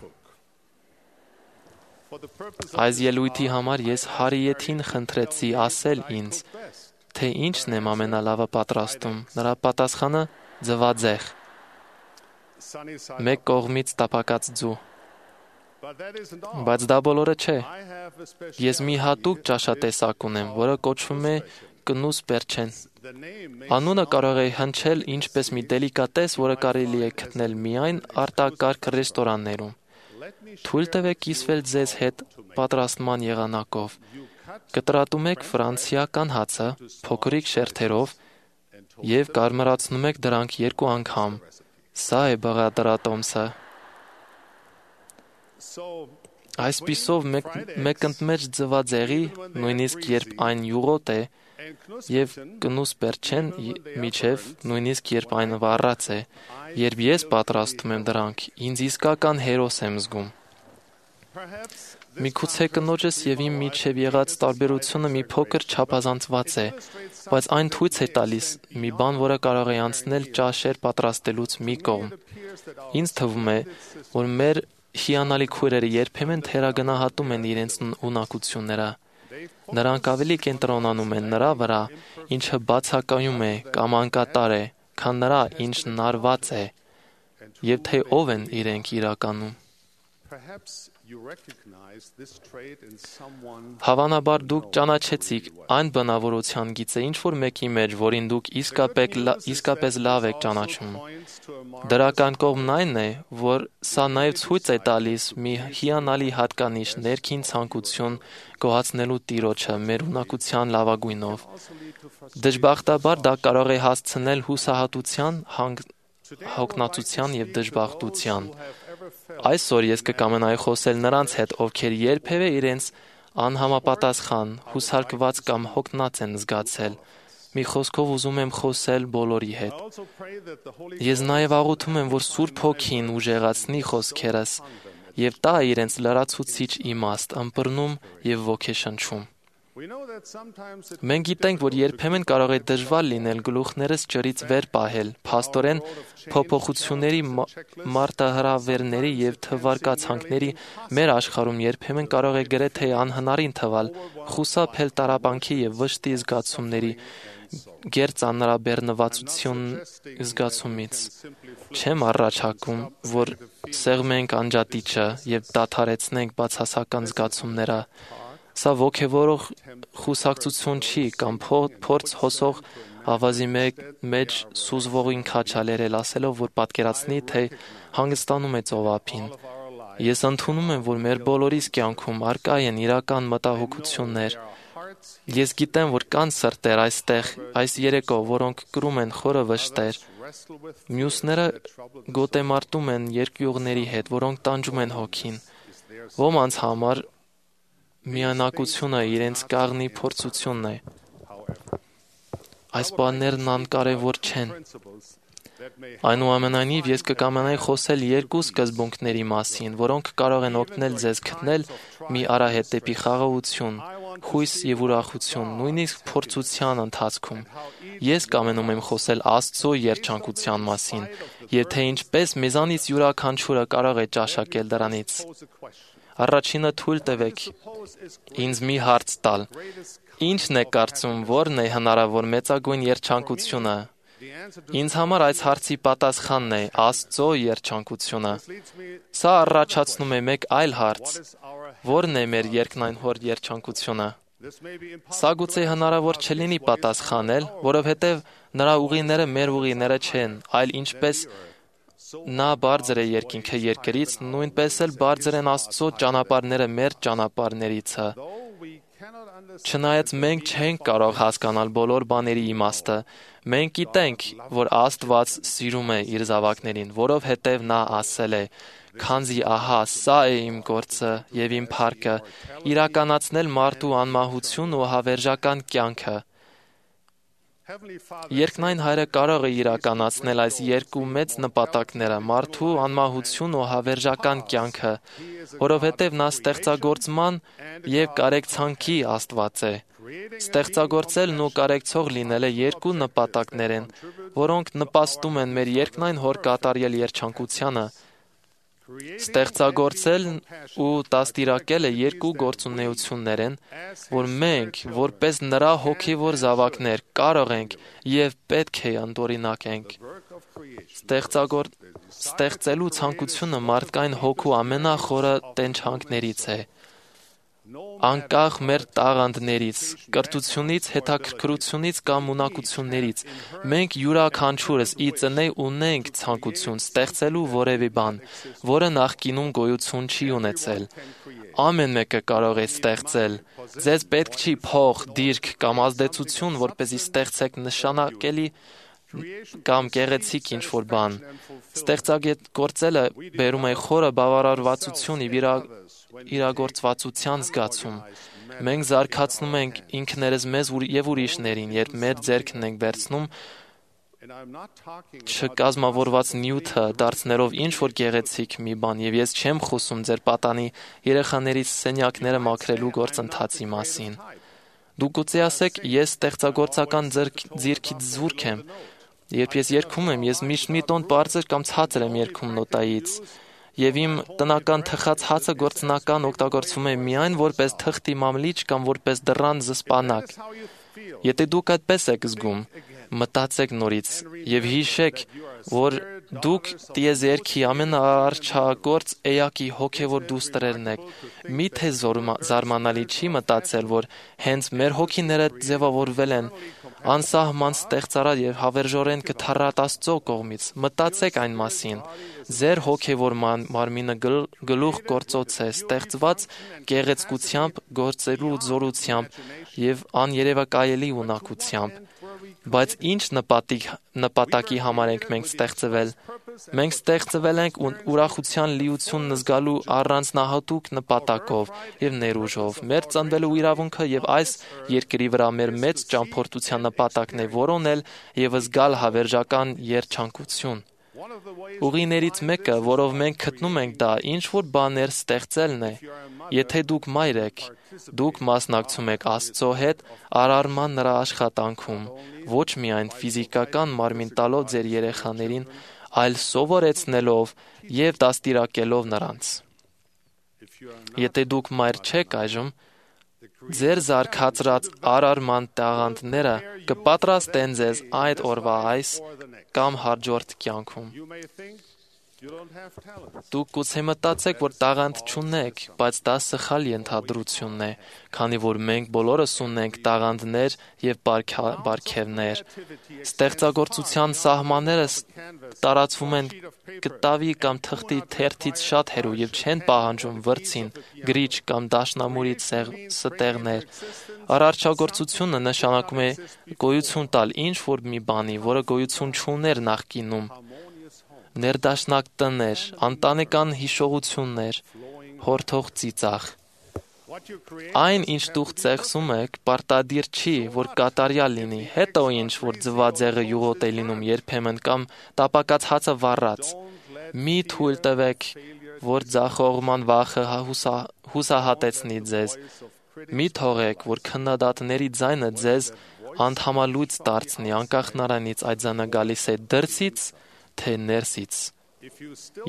for the purpose of Այս ելույթի համար ես Հարիեթին խնդրեցի ասել ինձ, թե ինչն եմ ամենալավը պատրաստում։ Նրա պատասխանը ձվածեղ, sunny side. մեկ կողմից տապակած ձու։ But that isn't all. Բայց դա բոլորը չէ։ I have a special Ես մի հատուկ ճաշատեսակ ունեմ, որը կոչվում է կնուս պերչեն։ the name makes Անունը կարող է հնչել ինչպես մի դելիկատես, որը կարելի է գտնել միայն արտակարգ ռեստորաններում։ Թույլ տվեք կիսվել ձեզ հետ պատրաստման եղանակով։ Կտրատում եք ֆրանսիական հացը փոքրիկ շերտերով եւ կարմրացնում եք դրանք 2 անգամ։ Սա է բաղադրատոմսը։ so Այսպիսով մեկընդմեջ ձվածեղի, նույնիսկ երբ այն յուղոտ է, եւ կնուս բերչեն միջև նույնիսկ երբ այն վառած է, երբ ես պատրաստում եմ դրանք, ինձ իսկական հերոս եմ զգում։ Միգուցե կնոջս եւ իմ միջև եղած տարբերությունը մի փոքր չափազանցված է, բայց այն ցույց է տալիս մի բան, որը կարող է անցնել ճաշեր պատրաստելուց մի կողմ։ Ինձ թվում է, որ մեր հիանալի քույրերը երբեմն թերագնահատում են իրենց ունակությունները։ Նրանք ավելի կենտրոնանում են նրա վրա, ինչը բացակայում է կամ անկատար է, քան նրա, ինչն արված է, եւ թե ով են իրենք իրականում։ Հավանաբար դուք ճանաչեցիք այն բնավորության գիծը ինչ-որ մեկի մեջ, որին դուք իսկապես լավ եք ճանաչում։ Դրական կողմն այն է, որ սա նաև ցույց է տալիս մի հիանալի հատկանիշ ներքին ցանկություն գոհացնելու Տիրոջը մեր ունակության լավագույնով։ Դժբախտաբար դա կարող է հասցնել հուսահատության, հոգնածության եւ դժբախտության։ Այսօր ես կկամենայի խոսել նրանց հետ, ովքեր երբևէ իրենց անհամապատասխան, հուսարկված կամ հոգնած են զգացել։ Մի խոսքով ուզում եմ խոսել բոլորի հետ։ Ես նաև աղոթում եմ, որ Սուրբ Հոգին ուժեղացնի խոսքերս եւ տա իրենց լրացուցիչ իմաստ, ըմբռնում եւ ոգեշնչում։ Մենք գիտենք, որ երբեմն կարող է դժվար լինել գլուխներս ջրից վեր պահել, փաստորեն փոփոխությունների, մարտահրավերների եւ թվարկացանքների մեր աշխարհում երբեմն կարող է գրեթե անհնարին թվալ, խուսափել տառապանքի եւ վշտի զգացումների, գերծանրաբեռնվածություն զգացումից։ Չեմ առաջարկում, որ սեղմենք անջատիչը եւ դադարեցնենք բացասական զգացումները։ Սա ոգևորող խուսակցություն չի կամ փորձ հոսող ավազի մեջ սուզվողին քաչալերել ասելով, որ պատկերացնի, թե հանգստանում է ծովափին։ Ես ընդունում եմ, որ մեր բոլորիս կյանքում առկա են իրական մտահոգություններ։ Ես գիտեմ, որ կան սրտեր այստեղ, այս երեկո, որոնք կրում են խորը վշտեր։ Մյուսները գոտեմարտում են երկյուղների հետ, որոնք տանջում են հոգին։ Ոմանց համար միանակությունը իրենց կաղնի փորձությունն է։ Այս բաներն անկարևոր չեն։ Այնուամենայնիվ ես կկամենայի խոսել երկու սկզբունքների մասին, որոնք կարող են օգնել ձեզ գտնել մի արահետ դեպի խաղաղություն, հույս եւ ուրախություն, նույնիսկ փորձության ընթացքում։ Ես կամենում եմ խոսել Աստծո երջանկության մասին, եւ թե ինչպես մեզանից յուրաքանչյուրը կարող է ճաշակել դրանից։ Առաջինը թույլ տվեք ինձ մի հարց տալ. Ինչ՞ն է կարծում, որն է հնարավոր մեծագույն երջանկությունը։ Ինձ համար այս հարցի պատասխանն է Աստծո երջանկությունը։ Սա առաջացնում է մեկ այլ հարց. որն է մեր երկնային Հոր երջանկությունը։ Սա գուցե հնարավոր չլինի պատասխանել, որովհետև նրա ուղիները մեր ուղիները չեն, այլ ինչպես նա բարձր է երկինքը երկրից, նույնպես էլ բարձր են Աստծո ճանապարհները մեր ճանապարհներիցը։ Չնայած մենք չենք կարող հասկանալ բոլոր բաների իմաստը, մենք գիտենք, որ Աստված սիրում է իր զավակներին, որովհետև նա ասել է. «Քանզի ահա սա է իմ գործը եւ իմ փառքը, իրականացնել մարդու անմահություն ու հավերժական կյանքը»։ Երկնային Հայրը կարող է իրականացնել այս երկու մեծ նպատակները՝ մարդու անմահություն ու հավերժական կյանքը, որովհետև նա ստեղծագործման եւ կարեկցանքի Աստված է։ Ստեղծագործելն ու կարեկցող լինելը երկու նպատակներ են, որոնք նպաստում են մեր երկնային Հոր կատարյալ երջանկությանը։ Ստեղծագործելն ու դաստիարակելը երկու գործունեություններ են, որ մենք, որպես նրա հոգևոր զավակներ, կարող ենք եւ պետք է ընդօրինակենք։ Ստեղծելու ցանկությունը մարդկային հոգու ամենախորը տենչանքներից է։ Անկախ մեր տաղանդներից, կրթությունից, հետաքրքրությունից կամ ունակություններից, մենք յուրաքանչյուրս ի ծնե ունենք ցանկություն ստեղծելու որևէ բան, որը նախկինում գոյություն չի ունեցել։ Ամեն մեկը կարող է ստեղծել։ Ձեզ պետք չի փող, դիրք կամ ազդեցություն, որպեսզի ստեղծեք նշանակելի կամ գեղեցիկ ինչ-որ բան։ Ստեղծագործելը բերում է խորը բավարարվածություն իրագործվածության զգացում։ Մենք զարգացնում ենք ինքներս մեզ եւ ուրիշներին, երբ մեր ձեռքն ենք վերցնում չկազմավորված նյութը դարձնելով ինչ-որ գեղեցիկ մի բան, եւ ես չեմ խոսում ձեր պատանի երեխաներից սենյակները մաքրելու գործընթացի մասին։ Դուք գուցե ասեք, ես ստեղծագործական ձիրքից զուրկ եմ։ Երբ ես երգում եմ, ես միշտ մի տոն բարձր կամ ցածր եմ երգում նոտայից, եւ իմ տնական թխած հացը գործնական օգտագործվում է միայն որպես թղթի մամլիչ կամ որպես դռան զսպանակ։ Եթե դուք այդպես եք զգում, մտածեք նորից եւ հիշեք, որ դուք տիեզերքի ամենաարչագործ էակի հոգեվոր դուստրերն եք։ Միթե զարմանալի չի մտածել, որ հենց մեր հոգիները ձևավորվել են անսահման ստեղծարար եւ հավերժորեն գթառատ Աստծո կողմից։ Մտածեք այն մասին։ Ձեր հոգեվոր մարմինը գլուխ գործոց է, ստեղծված գեղեցկությամբ, գործելու զորությամբ եւ աներևակայելի ունակությամբ։ Բայց ինչ նպատակի համար ենք մենք ստեղծվել։ Մենք ստեղծվել ենք ուրախության լիությունն զգալու առանձնահատուկ նպատակով եւ ներուժով։ Մեր ծնվելու իրավունքը եւ այս երկրի վրա մեր մեծ ճամփորդության նպատակն է որոնել եւ զգալ հավերժական երջանկություն։ Ուղիներից մեկը, որով մենք գտնում ենք դա, ինչ որ բաներ ստեղծելն է։ Եթե դուք մայր եք, դուք մասնակցում եք Աստծո հետ արարման նրա աշխատանքում, ոչ միայն ֆիզիկական մարմին տալով ձեր երեխաներին, այլ սովորեցնելով եւ դաստիարակելով նրանց։ Եթե դուք մայր չեք այժմ, ձեր զարգացրած արարման տաղանդները կպատրաստեն ձեզ այդ օրվա այս կամ հաջորդ կյանքում։ Դուք գուցե մտածեք, որ տաղանդ չունեք, բայց դա սխալ ենթադրությունն է, քանի որ մենք բոլորս ունենք տաղանդներ եւ պարգևներ։ Ստեղծագործության սահմանները տարածվում են կտավի կամ թղթի թերթից շատ հեռու եւ չեն պահանջում վրձին, գրիչ կամ դաշնամուրից ստեղներ։ Արարչագործությունը նշանակում է գոյություն տալ ինչ-որ մի բանի, որը գոյություն չուներ նախկինում։ Ներդաշնակ տներ, անտանեկան հիշողություններ, հորթող ծիծաղ։ Այն, ինչ դուք ծեղսում եք, պարտադիր չի, որ կատարյալ լինի, հետո ինչ, որ ձվածեղը յուղոտ է լինում երբեմն կամ տապակած հացը վառած։ Մի թույլ տվեք, որ ձախողման վախը հուսահատեցնի ձեզ։ Մի թողեք, որ քննադատների ձայնը ձեզ անդհամալույց դարձնի, անկախ նրանից այդ ձայնը գալիս է դրսից, թե ներսից։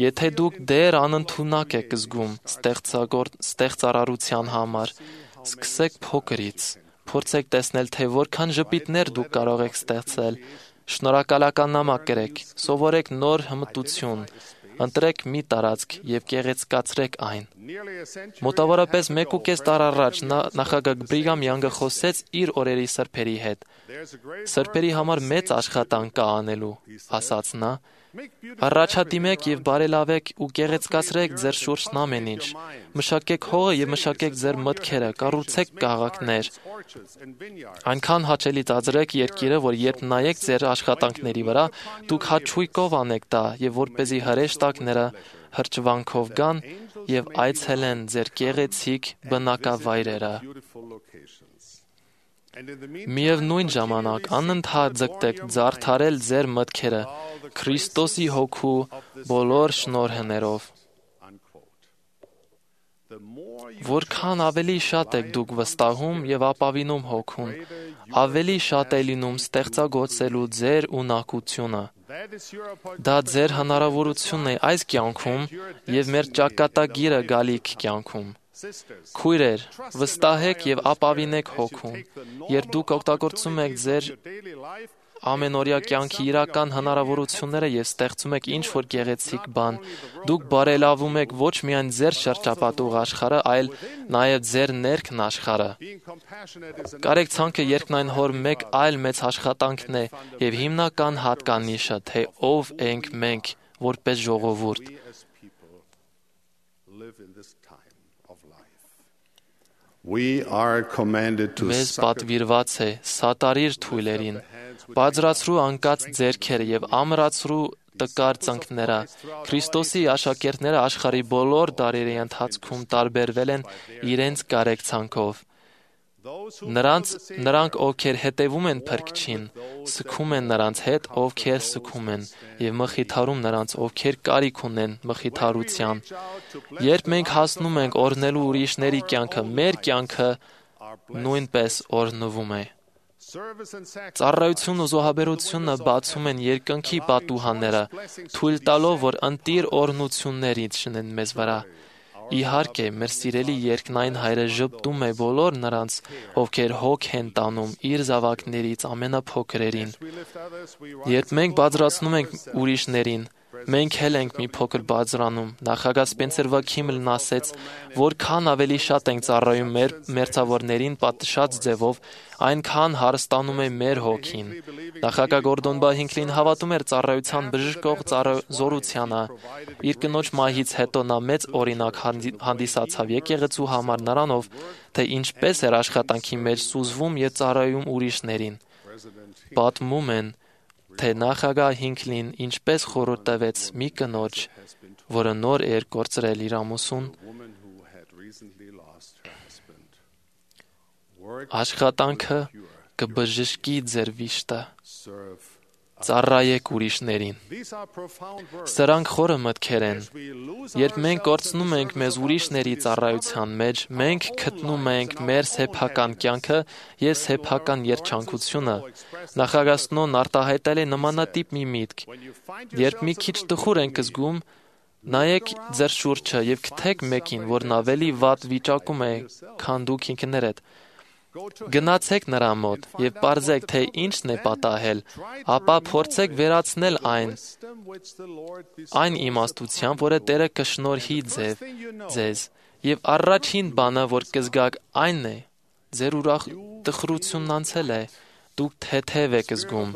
Եթե դուք դեռ անընդունակ եք զգում ստեղծարարության համար, սկսեք փոքրից, փորձեք տեսնել, թե որքան ժպիտներ դուք կարող եք ստեղծել, շնորհակալական նամակ գրեք, սովորեք նոր հմտություն, ընտրեք մի տարածք եւ գեղեցկացրեք այն։ Մոտավորապես 1.5 տարի առաջ նախագահ Բրիգամ Յանգը խոսեց իր օրերի սրբերի հետ։ Սրբերի համար մեծ աշխատանք կա անելու, ասաց նա։ Առաջադիմեք եւ բարելավեք ու գեղեցկացրեք ձեր շուրջն ամեն ինչ։ Մշակեք հողը եւ մշակեք ձեր մտքերը, կառուցեք քաղաքներ։ Այնքան հաճելի ծածրեք երկիրը, որ երբ նայեք ձեր աշխատանքների վրա, դուք հաճույքով անեք դա եւ որպեսզի հրեշտակները հրճվանքով գան եւ այցելեն ձեր գեղեցիկ բնակավայրերը։ Միևնույն ժամանակ անընդհատ ձգտեք զարդարել ձեր մտքերը Քրիստոսի հոգու բոլոր շնորհներով։ Որքան ավելի շատ եք դուք վստահում եւ ապավինում հոգուն, ավելի շատ է լինում ստեղծագործելու ձեր ունակությունը։ Դա ձեր հնարավորությունն է այս կյանքում եւ մեր ճակատագիրը գալիք կյանքում։ Քույրեր, վստահեք եւ ապավինեք հոգուն։ Երբ դուք օգտագործում եք ձեր ամենօրյա կյանքի իրական հնարավորությունները եւ ստեղծում եք ինչ-որ գեղեցիկ բան, դուք բարելավում եք ոչ միայն ձեր շրջապատող աշխարհը, այլ նաեւ ձեր ներքն աշխարհը։ Կարեկցանքը երկնային հոր մեկ այլ մեծ աշխատանքն է եւ հիմնական հատկանիշը, թե ով ենք մենք որպես ժողովուրդ։ Մեզ պատվիրված է սատարիր թույլերին, բարձրացրու անկած ձեռքերը եւ ամրացրու տկար ծնկները։ Քրիստոսի աշակերտները աշխարհի բոլոր դարերի ընթացքում տարբերվել են իրենց կարեկցանքով։ Նրանք, ովքեր հետևում են փրկչին, սգում են նրանց հետ, ովքեր սգում են, եւ մխիթարում նրանց, ովքեր կարիք ունեն մխիթարության։ Երբ մենք հասնում ենք օրհնելու ուրիշների կյանքը, մեր կյանքը նույնպես օրհնվում է։ Ծառայությունն ու զոհաբերությունը բացում են երկնքի պատուհանները, թույլ տալով, որ ընտիր օրհնություններ իջնեն մեզ վրա։ Իհարկե, մեր սիրելի երկնային Հայրը ժպտում է բոլոր նրանց, ովքեր հոգ են տանում իր զավակներից ամենափոքրերին։ Երբ մենք բարձրացնում ենք ուրիշներին, մենք էլ ենք մի փոքր բարձրանում։ Նախագահ Սպենսեր Վաքիմլն ասեց, որքան ավելի շատ ենք ծառայում մեր մերձավորներին պատշաճ ձևով, այնքան հարստանում է մեր հոգին։ Նախագահ Գորդոն B. Հինքլին հավատում էր ծառայության բժշկող զորությանը։ Իր կնոջ մահից հետո նա մեծ օրինակ հանդիսացավ եկեղեցու համար նրանով, թե ինչպես էր աշխատանքի մեջ սուզվում եւ ծառայում ուրիշներին։ Պատմում են, թե նախագահ Հինքլին ինչպես խորհուրդ տվեց մի կնոջ, որը նոր էր կորցրել իր ամուսուն, աշխատանքը կբժշկի ձեր վիշտը, ծառայեք ուրիշներին։ Սրանք խորը մտքեր են։ Երբ մենք կորցնում ենք մեզ ուրիշների ծառայության մեջ, մենք գտնում ենք մեր սեփական կյանքը եւ սեփական երջանկությունը։ Նախագահ Սնոն արտահայտել է նմանատիպ մի միտք։ Երբ մի քիչ տխուր ենք զգում, նայեք ձեր շուրջը եւ գտեք մեկին, որն ավելի վատ վիճակում է, քան դուք ինքներդ։ Գնացեք նրա մոտ եւ պարզեք, թե ինչն է պատահել, ապա փորձեք վերացնել այն իմաստությամբ, որը Տերը կշնորհի ձեզ, եւ առաջին բանը, որ կզգաք, այն է, ձեր տխրությունն անցել է, դուք թեթև եք զգում։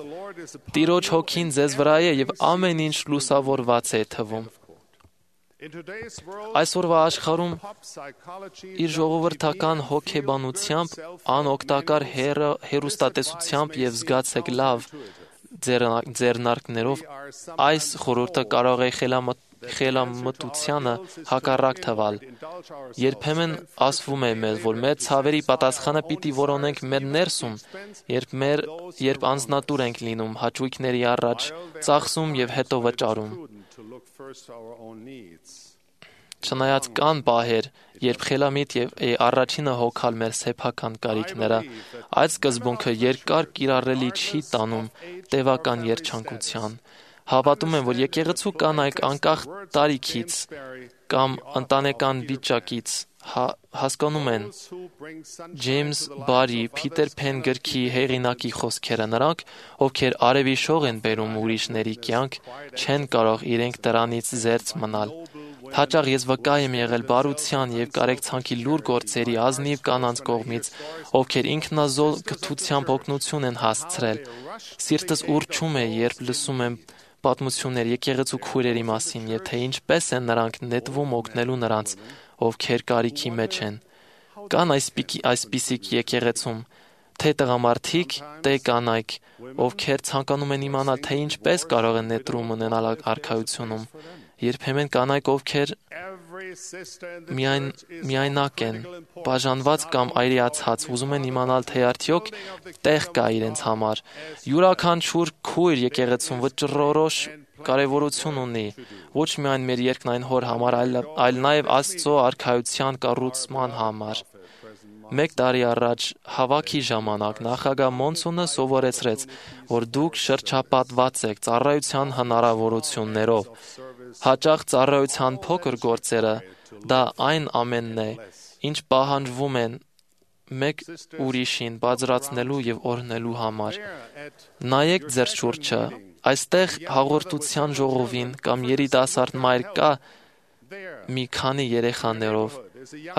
Տիրոջ հոգին ձեզ վրա է եւ ամեն ինչ լուսավորված է թվում։ Այսօրվա աշխարհում իր ժողովրդական հոգեբանությամբ, անօգտակար հեռուստատեսությամբ եւ զգացեք լավ ձեռնարկներով այս խորհուրդը կարող է խելամտությանը հակառակ թվալ։ Երբեմն ասվում է մեզ, որ մեր ցավերի պատասխանը պիտի որոնենք մեր ներսում, երբ անձնատուր ենք լինում, հաճույքների առաջ ծախսում եւ հետո վճարում։ Չնայած կան պահեր, երբ խելամիտ է առաջինը հոգալ մեր սեփական կարիքները, այդ սկզբունքը երկար կիրառելի չի տանում տևական երջանկության։ Հավատում եմ, որ եկեղեցու կանայք անկախ տարիքից կամ ընտանեկան վիճակից հասկանում են Ջեյմս Բարի Փիթեր Փեն գրքի հեղինակի խոսքերը։ Նրանք, ովքեր արևի շող են բերում ուրիշների կյանք, չեն կարող իրենք դրանից զերծ մնալ։ Հաճախ ես վկա եմ եղել բարության եւ կարեկցանքի լուր գործերի ազնիվ կանանց կողմից, ովքեր ինքնազոհ գթությամբ օգնություն են հասցրել։ Սիրտս ուռչում է, երբ լսում եմ պատմություններ եկեղեցու քույրերի մասին եւ թե ինչպես են նրանք նետվում օգնելու նրանց, ովքեր կարիքի մեջ են։ Կան այսպիսիք եկեղեցում, թե տղամարդիկ, թե կանայք, ովքեր ցանկանում են իմանալ, թե ինչպես կարող են նետրում ունենալ արքայությունում։ Երբեմն կանայք, ովքեր միայնակ են, բաժանված կամ այրիացած, ուզում են իմանալ, թե արդյոք տեղ կա իրենց համար։ Յուրաքանչյուր քույր եկեղեցում վճռորոշ կարևորություն ունի, ոչ միայն մեր երկնային Հոր համար, այլ նաև Աստծո արքայության կառուցման համար։ 1 տարի առաջ հավաքի ժամանակ նախագահ Մոնսոնը սովորեցրեց, որ դուք շրջապատված եք ծառայության հնարավորություններով։ Հաճախ ծառայության փոքր գործերը դա այն ամենն է, ինչ պահանջվում են մեկ ուրիշին բարձրացնելու եւ օրհնելու համար։ Նայեք ձեր շուրջը, այստեղ հաղորդության ժողովին կամ երիտասարդ մայր կա մի քանի երեխաներով։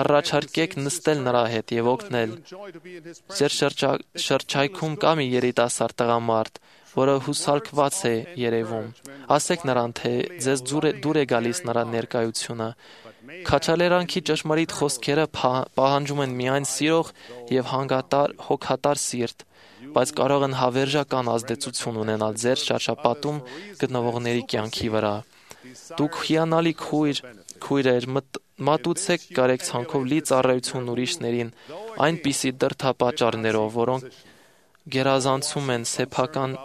Առաջարկեք նստել նրա հետ եւ օգնել։ Ձեր շրջայքում կա մի երիտասարդ տղամարդ, որը հուսալքված է երևում։ Ասեք նրան, թե ձեզ դուր է գալիս նրա ներկայությունը։ Քաջալերանքի ճշմարիտ խոսքերը պահանջում են միայն սիրող եւ հոգատար սիրտ, բայց կարող են հավերժական ազդեցություն ունենալ ձեր շրջապատում գտնվողների կյանքի վրա։ Դուք հիանալի քույրեր, մատուցեք կարեկցանքով լի ծառայություն ուրիշներին, այնպիսի դրդապատճառներով, որոնք գերազանցում են սեփական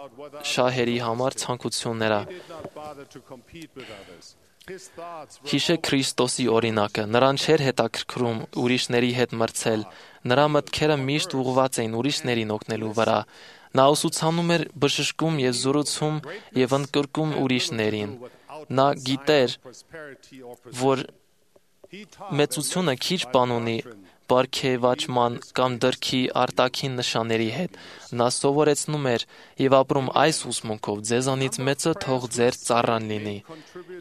շահերի համար ցանկությունները։ Հիշեք Քրիստոսի օրինակը, նրան չէր հետաքրքրում ուրիշների հետ մրցել, նրա մտքերը միշտ ուղղված էին ուրիշներին օգնելու վրա։ Նա ուսուցանում էր, բժշկում եւ զորացում եւ ընդգրկում ուրիշներին։ Նա գիտեր, որ մեծությունը քիչ բան ունի պարգևաճման կամ դրքի արտաքին նշանների հետ։ Նա սովորեցնում էր եւ ապրում այս ուսմունքով. ձեզանից մեծը թող ձեր ծառան լինի։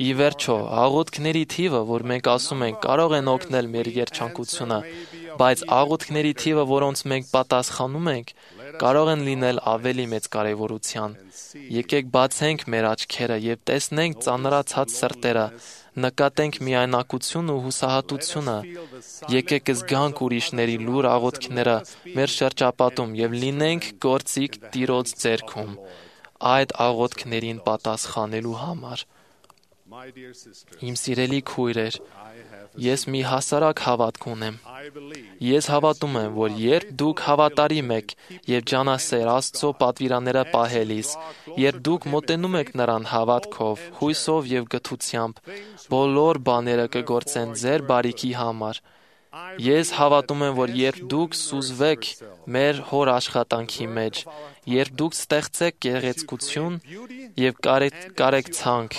Ի վերջո, աղոթքների թիվը, որ մենք ասում ենք, կարող են օգնել մեր երջանկությունը, բայց աղոթքների թիվը, որոնց մենք պատասխանում ենք, կարող են լինել ավելի մեծ կարևորության։ Եկեք բացենք մեր աչքերը եւ տեսնենք ծանրացած սրտերը, նկատենք միայնակությունը ու հուսահատությունը։ Եկեք զգանք ուրիշների լուր աղոթքները մեր շրջապատում եւ լինենք գործիք Տիրոջ ձեռքում այդ աղոթքներին պատասխանելու համար։ Իմ սիրելի քույրեր, ես մի հասարակ հավատք ունեմ։ Ես հավատում եմ, որ երբ դուք հավատարիմ եք եւ ջանասեր Աստծո պատվիրանները պահելիս, երբ դուք մոտենում եք նրան հավատքով, հույսով եւ գթությամբ, բոլոր բաները կգործեն ձեր բարիքի համար։ Ես հավատում եմ, որ երբ դուք սուզվեք մեր հոր աշխատանքի մեջ, երբ դուք ստեղծեք գեղեցկություն եւ կարեկցանք,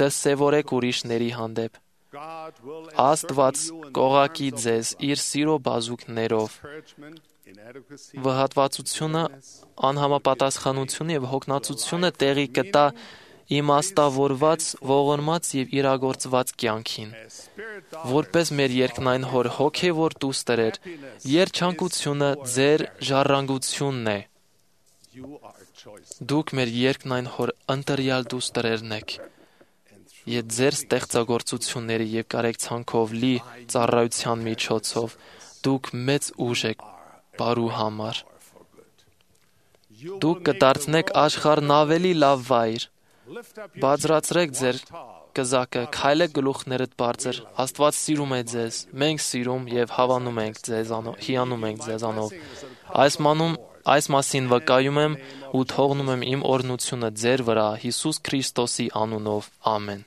դասևորեք ուրիշների հանդեպ, Աստված կողակի ձեզ իր սիրո բազուկներով։ Վհատվածությունը, անհամապատասխանությունը եւ հոգնածությունը տեղի կտա իմաստավորված, ողորմած եւ իրագործված կյանքին։ Որպես մեր երկնային հոր հոգեվոր դուստր, երջանկությունը ձեր ժառանգությունն է։ Դուք մեր երկնային հոր ընտրյալ դուստերն եք։ Եվ ձեր ստեղծագործությունների եւ կարեկցանքով լի ծառայության միջոցով դուք մեծ ուժ եք բարու համար։ Դուք կդարձնեք աշխարհն ավելի լավ վայր։ Բարձրացրեք ձեր կզակը, քայլեք գլուխներդ բարձր։ Աստված սիրում է ձեզ, մենք սիրում եւ հավանում ենք ձեզանով, հիանում ենք ձեզանով։ Այս մասին վկայում եմ ու թողնում եմ իմ օրհնությունը ձեր վրա Հիսուս Քրիստոսի անունով։ Ամեն։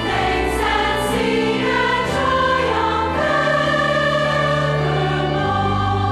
Thanks and see and triumph evermore.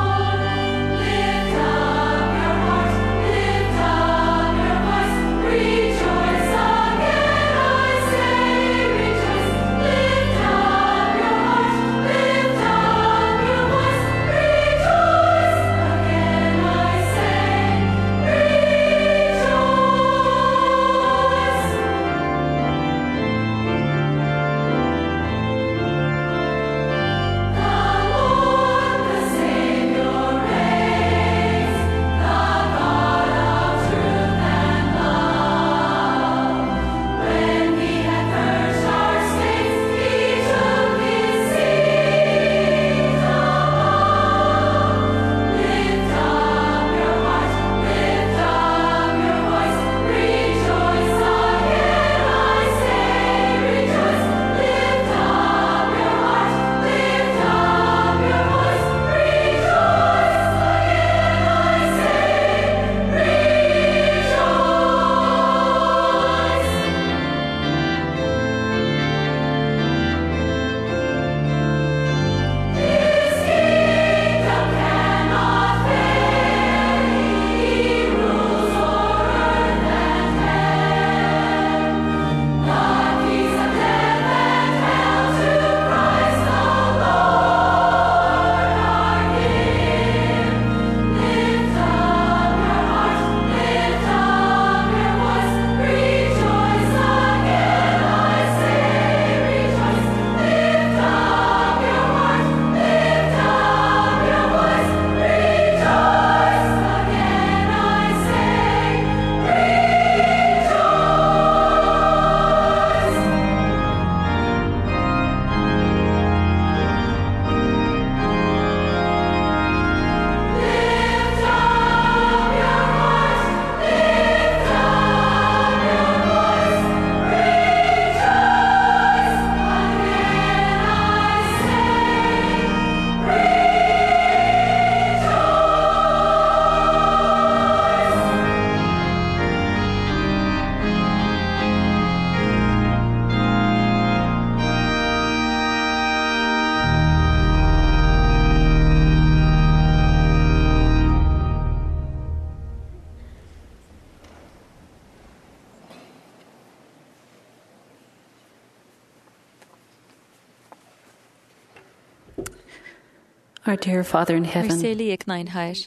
Our dear Father in heaven, Սիրելի եկնային Հայր,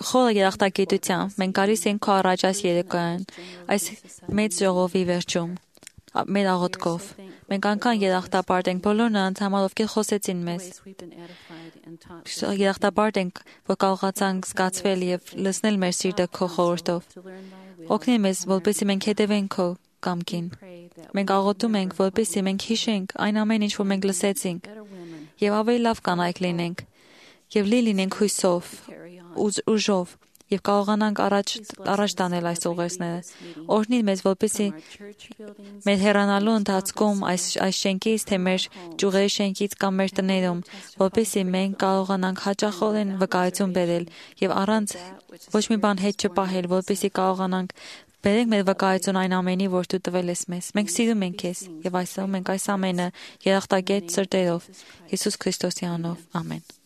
խորը երախտագիտությամբ մենք գալիս ենք քո առաջ այս երեկոյան, այս մեծ ժողովի վերջում, մեր աղոթքով։ Մենք անգամ երախտապարտ ենք բոլոր նրանց համար, ովքեր խոսեցին մեզ։ Երախտապարտ ենք, որ կարողացանք զգացվել եւ լցնել մեր սիրտը քո խորհրդով։ Օգնի մեզ, որպեսզի մենք հետևենք քո կամքին։ Մենք աղոթում ենք, որպեսզի մենք հիշենք այն ամեն ինչ, որ մենք լսեցինք, եւ ավելի լավ կանայք լինենք, եւ լի լինենք հույսով, ուժով, եւ կարողանանք առաջ տանել այս ուղերձները։ Օրհնի մեզ, որպեսզի մեր հեռանալու ընթացքում այս շենքից, թե մեր ճյուղերի շենքից կամ մեր տներում, որպեսզի մենք կարողանանք հաճախորեն վկայություն բերել եւ առանց ոչ մի բան հետ չպահել, որպեսզի կարողանանք բերենք մեր վկայություն այն ամենի, որ դու տվել ես մեզ։ Մենք սիրում ենք քեզ եւ այսօր մենք այս ամենը երախտագետ սրտերով Հիսուս Քրիստոսի անունով։ Ամեն։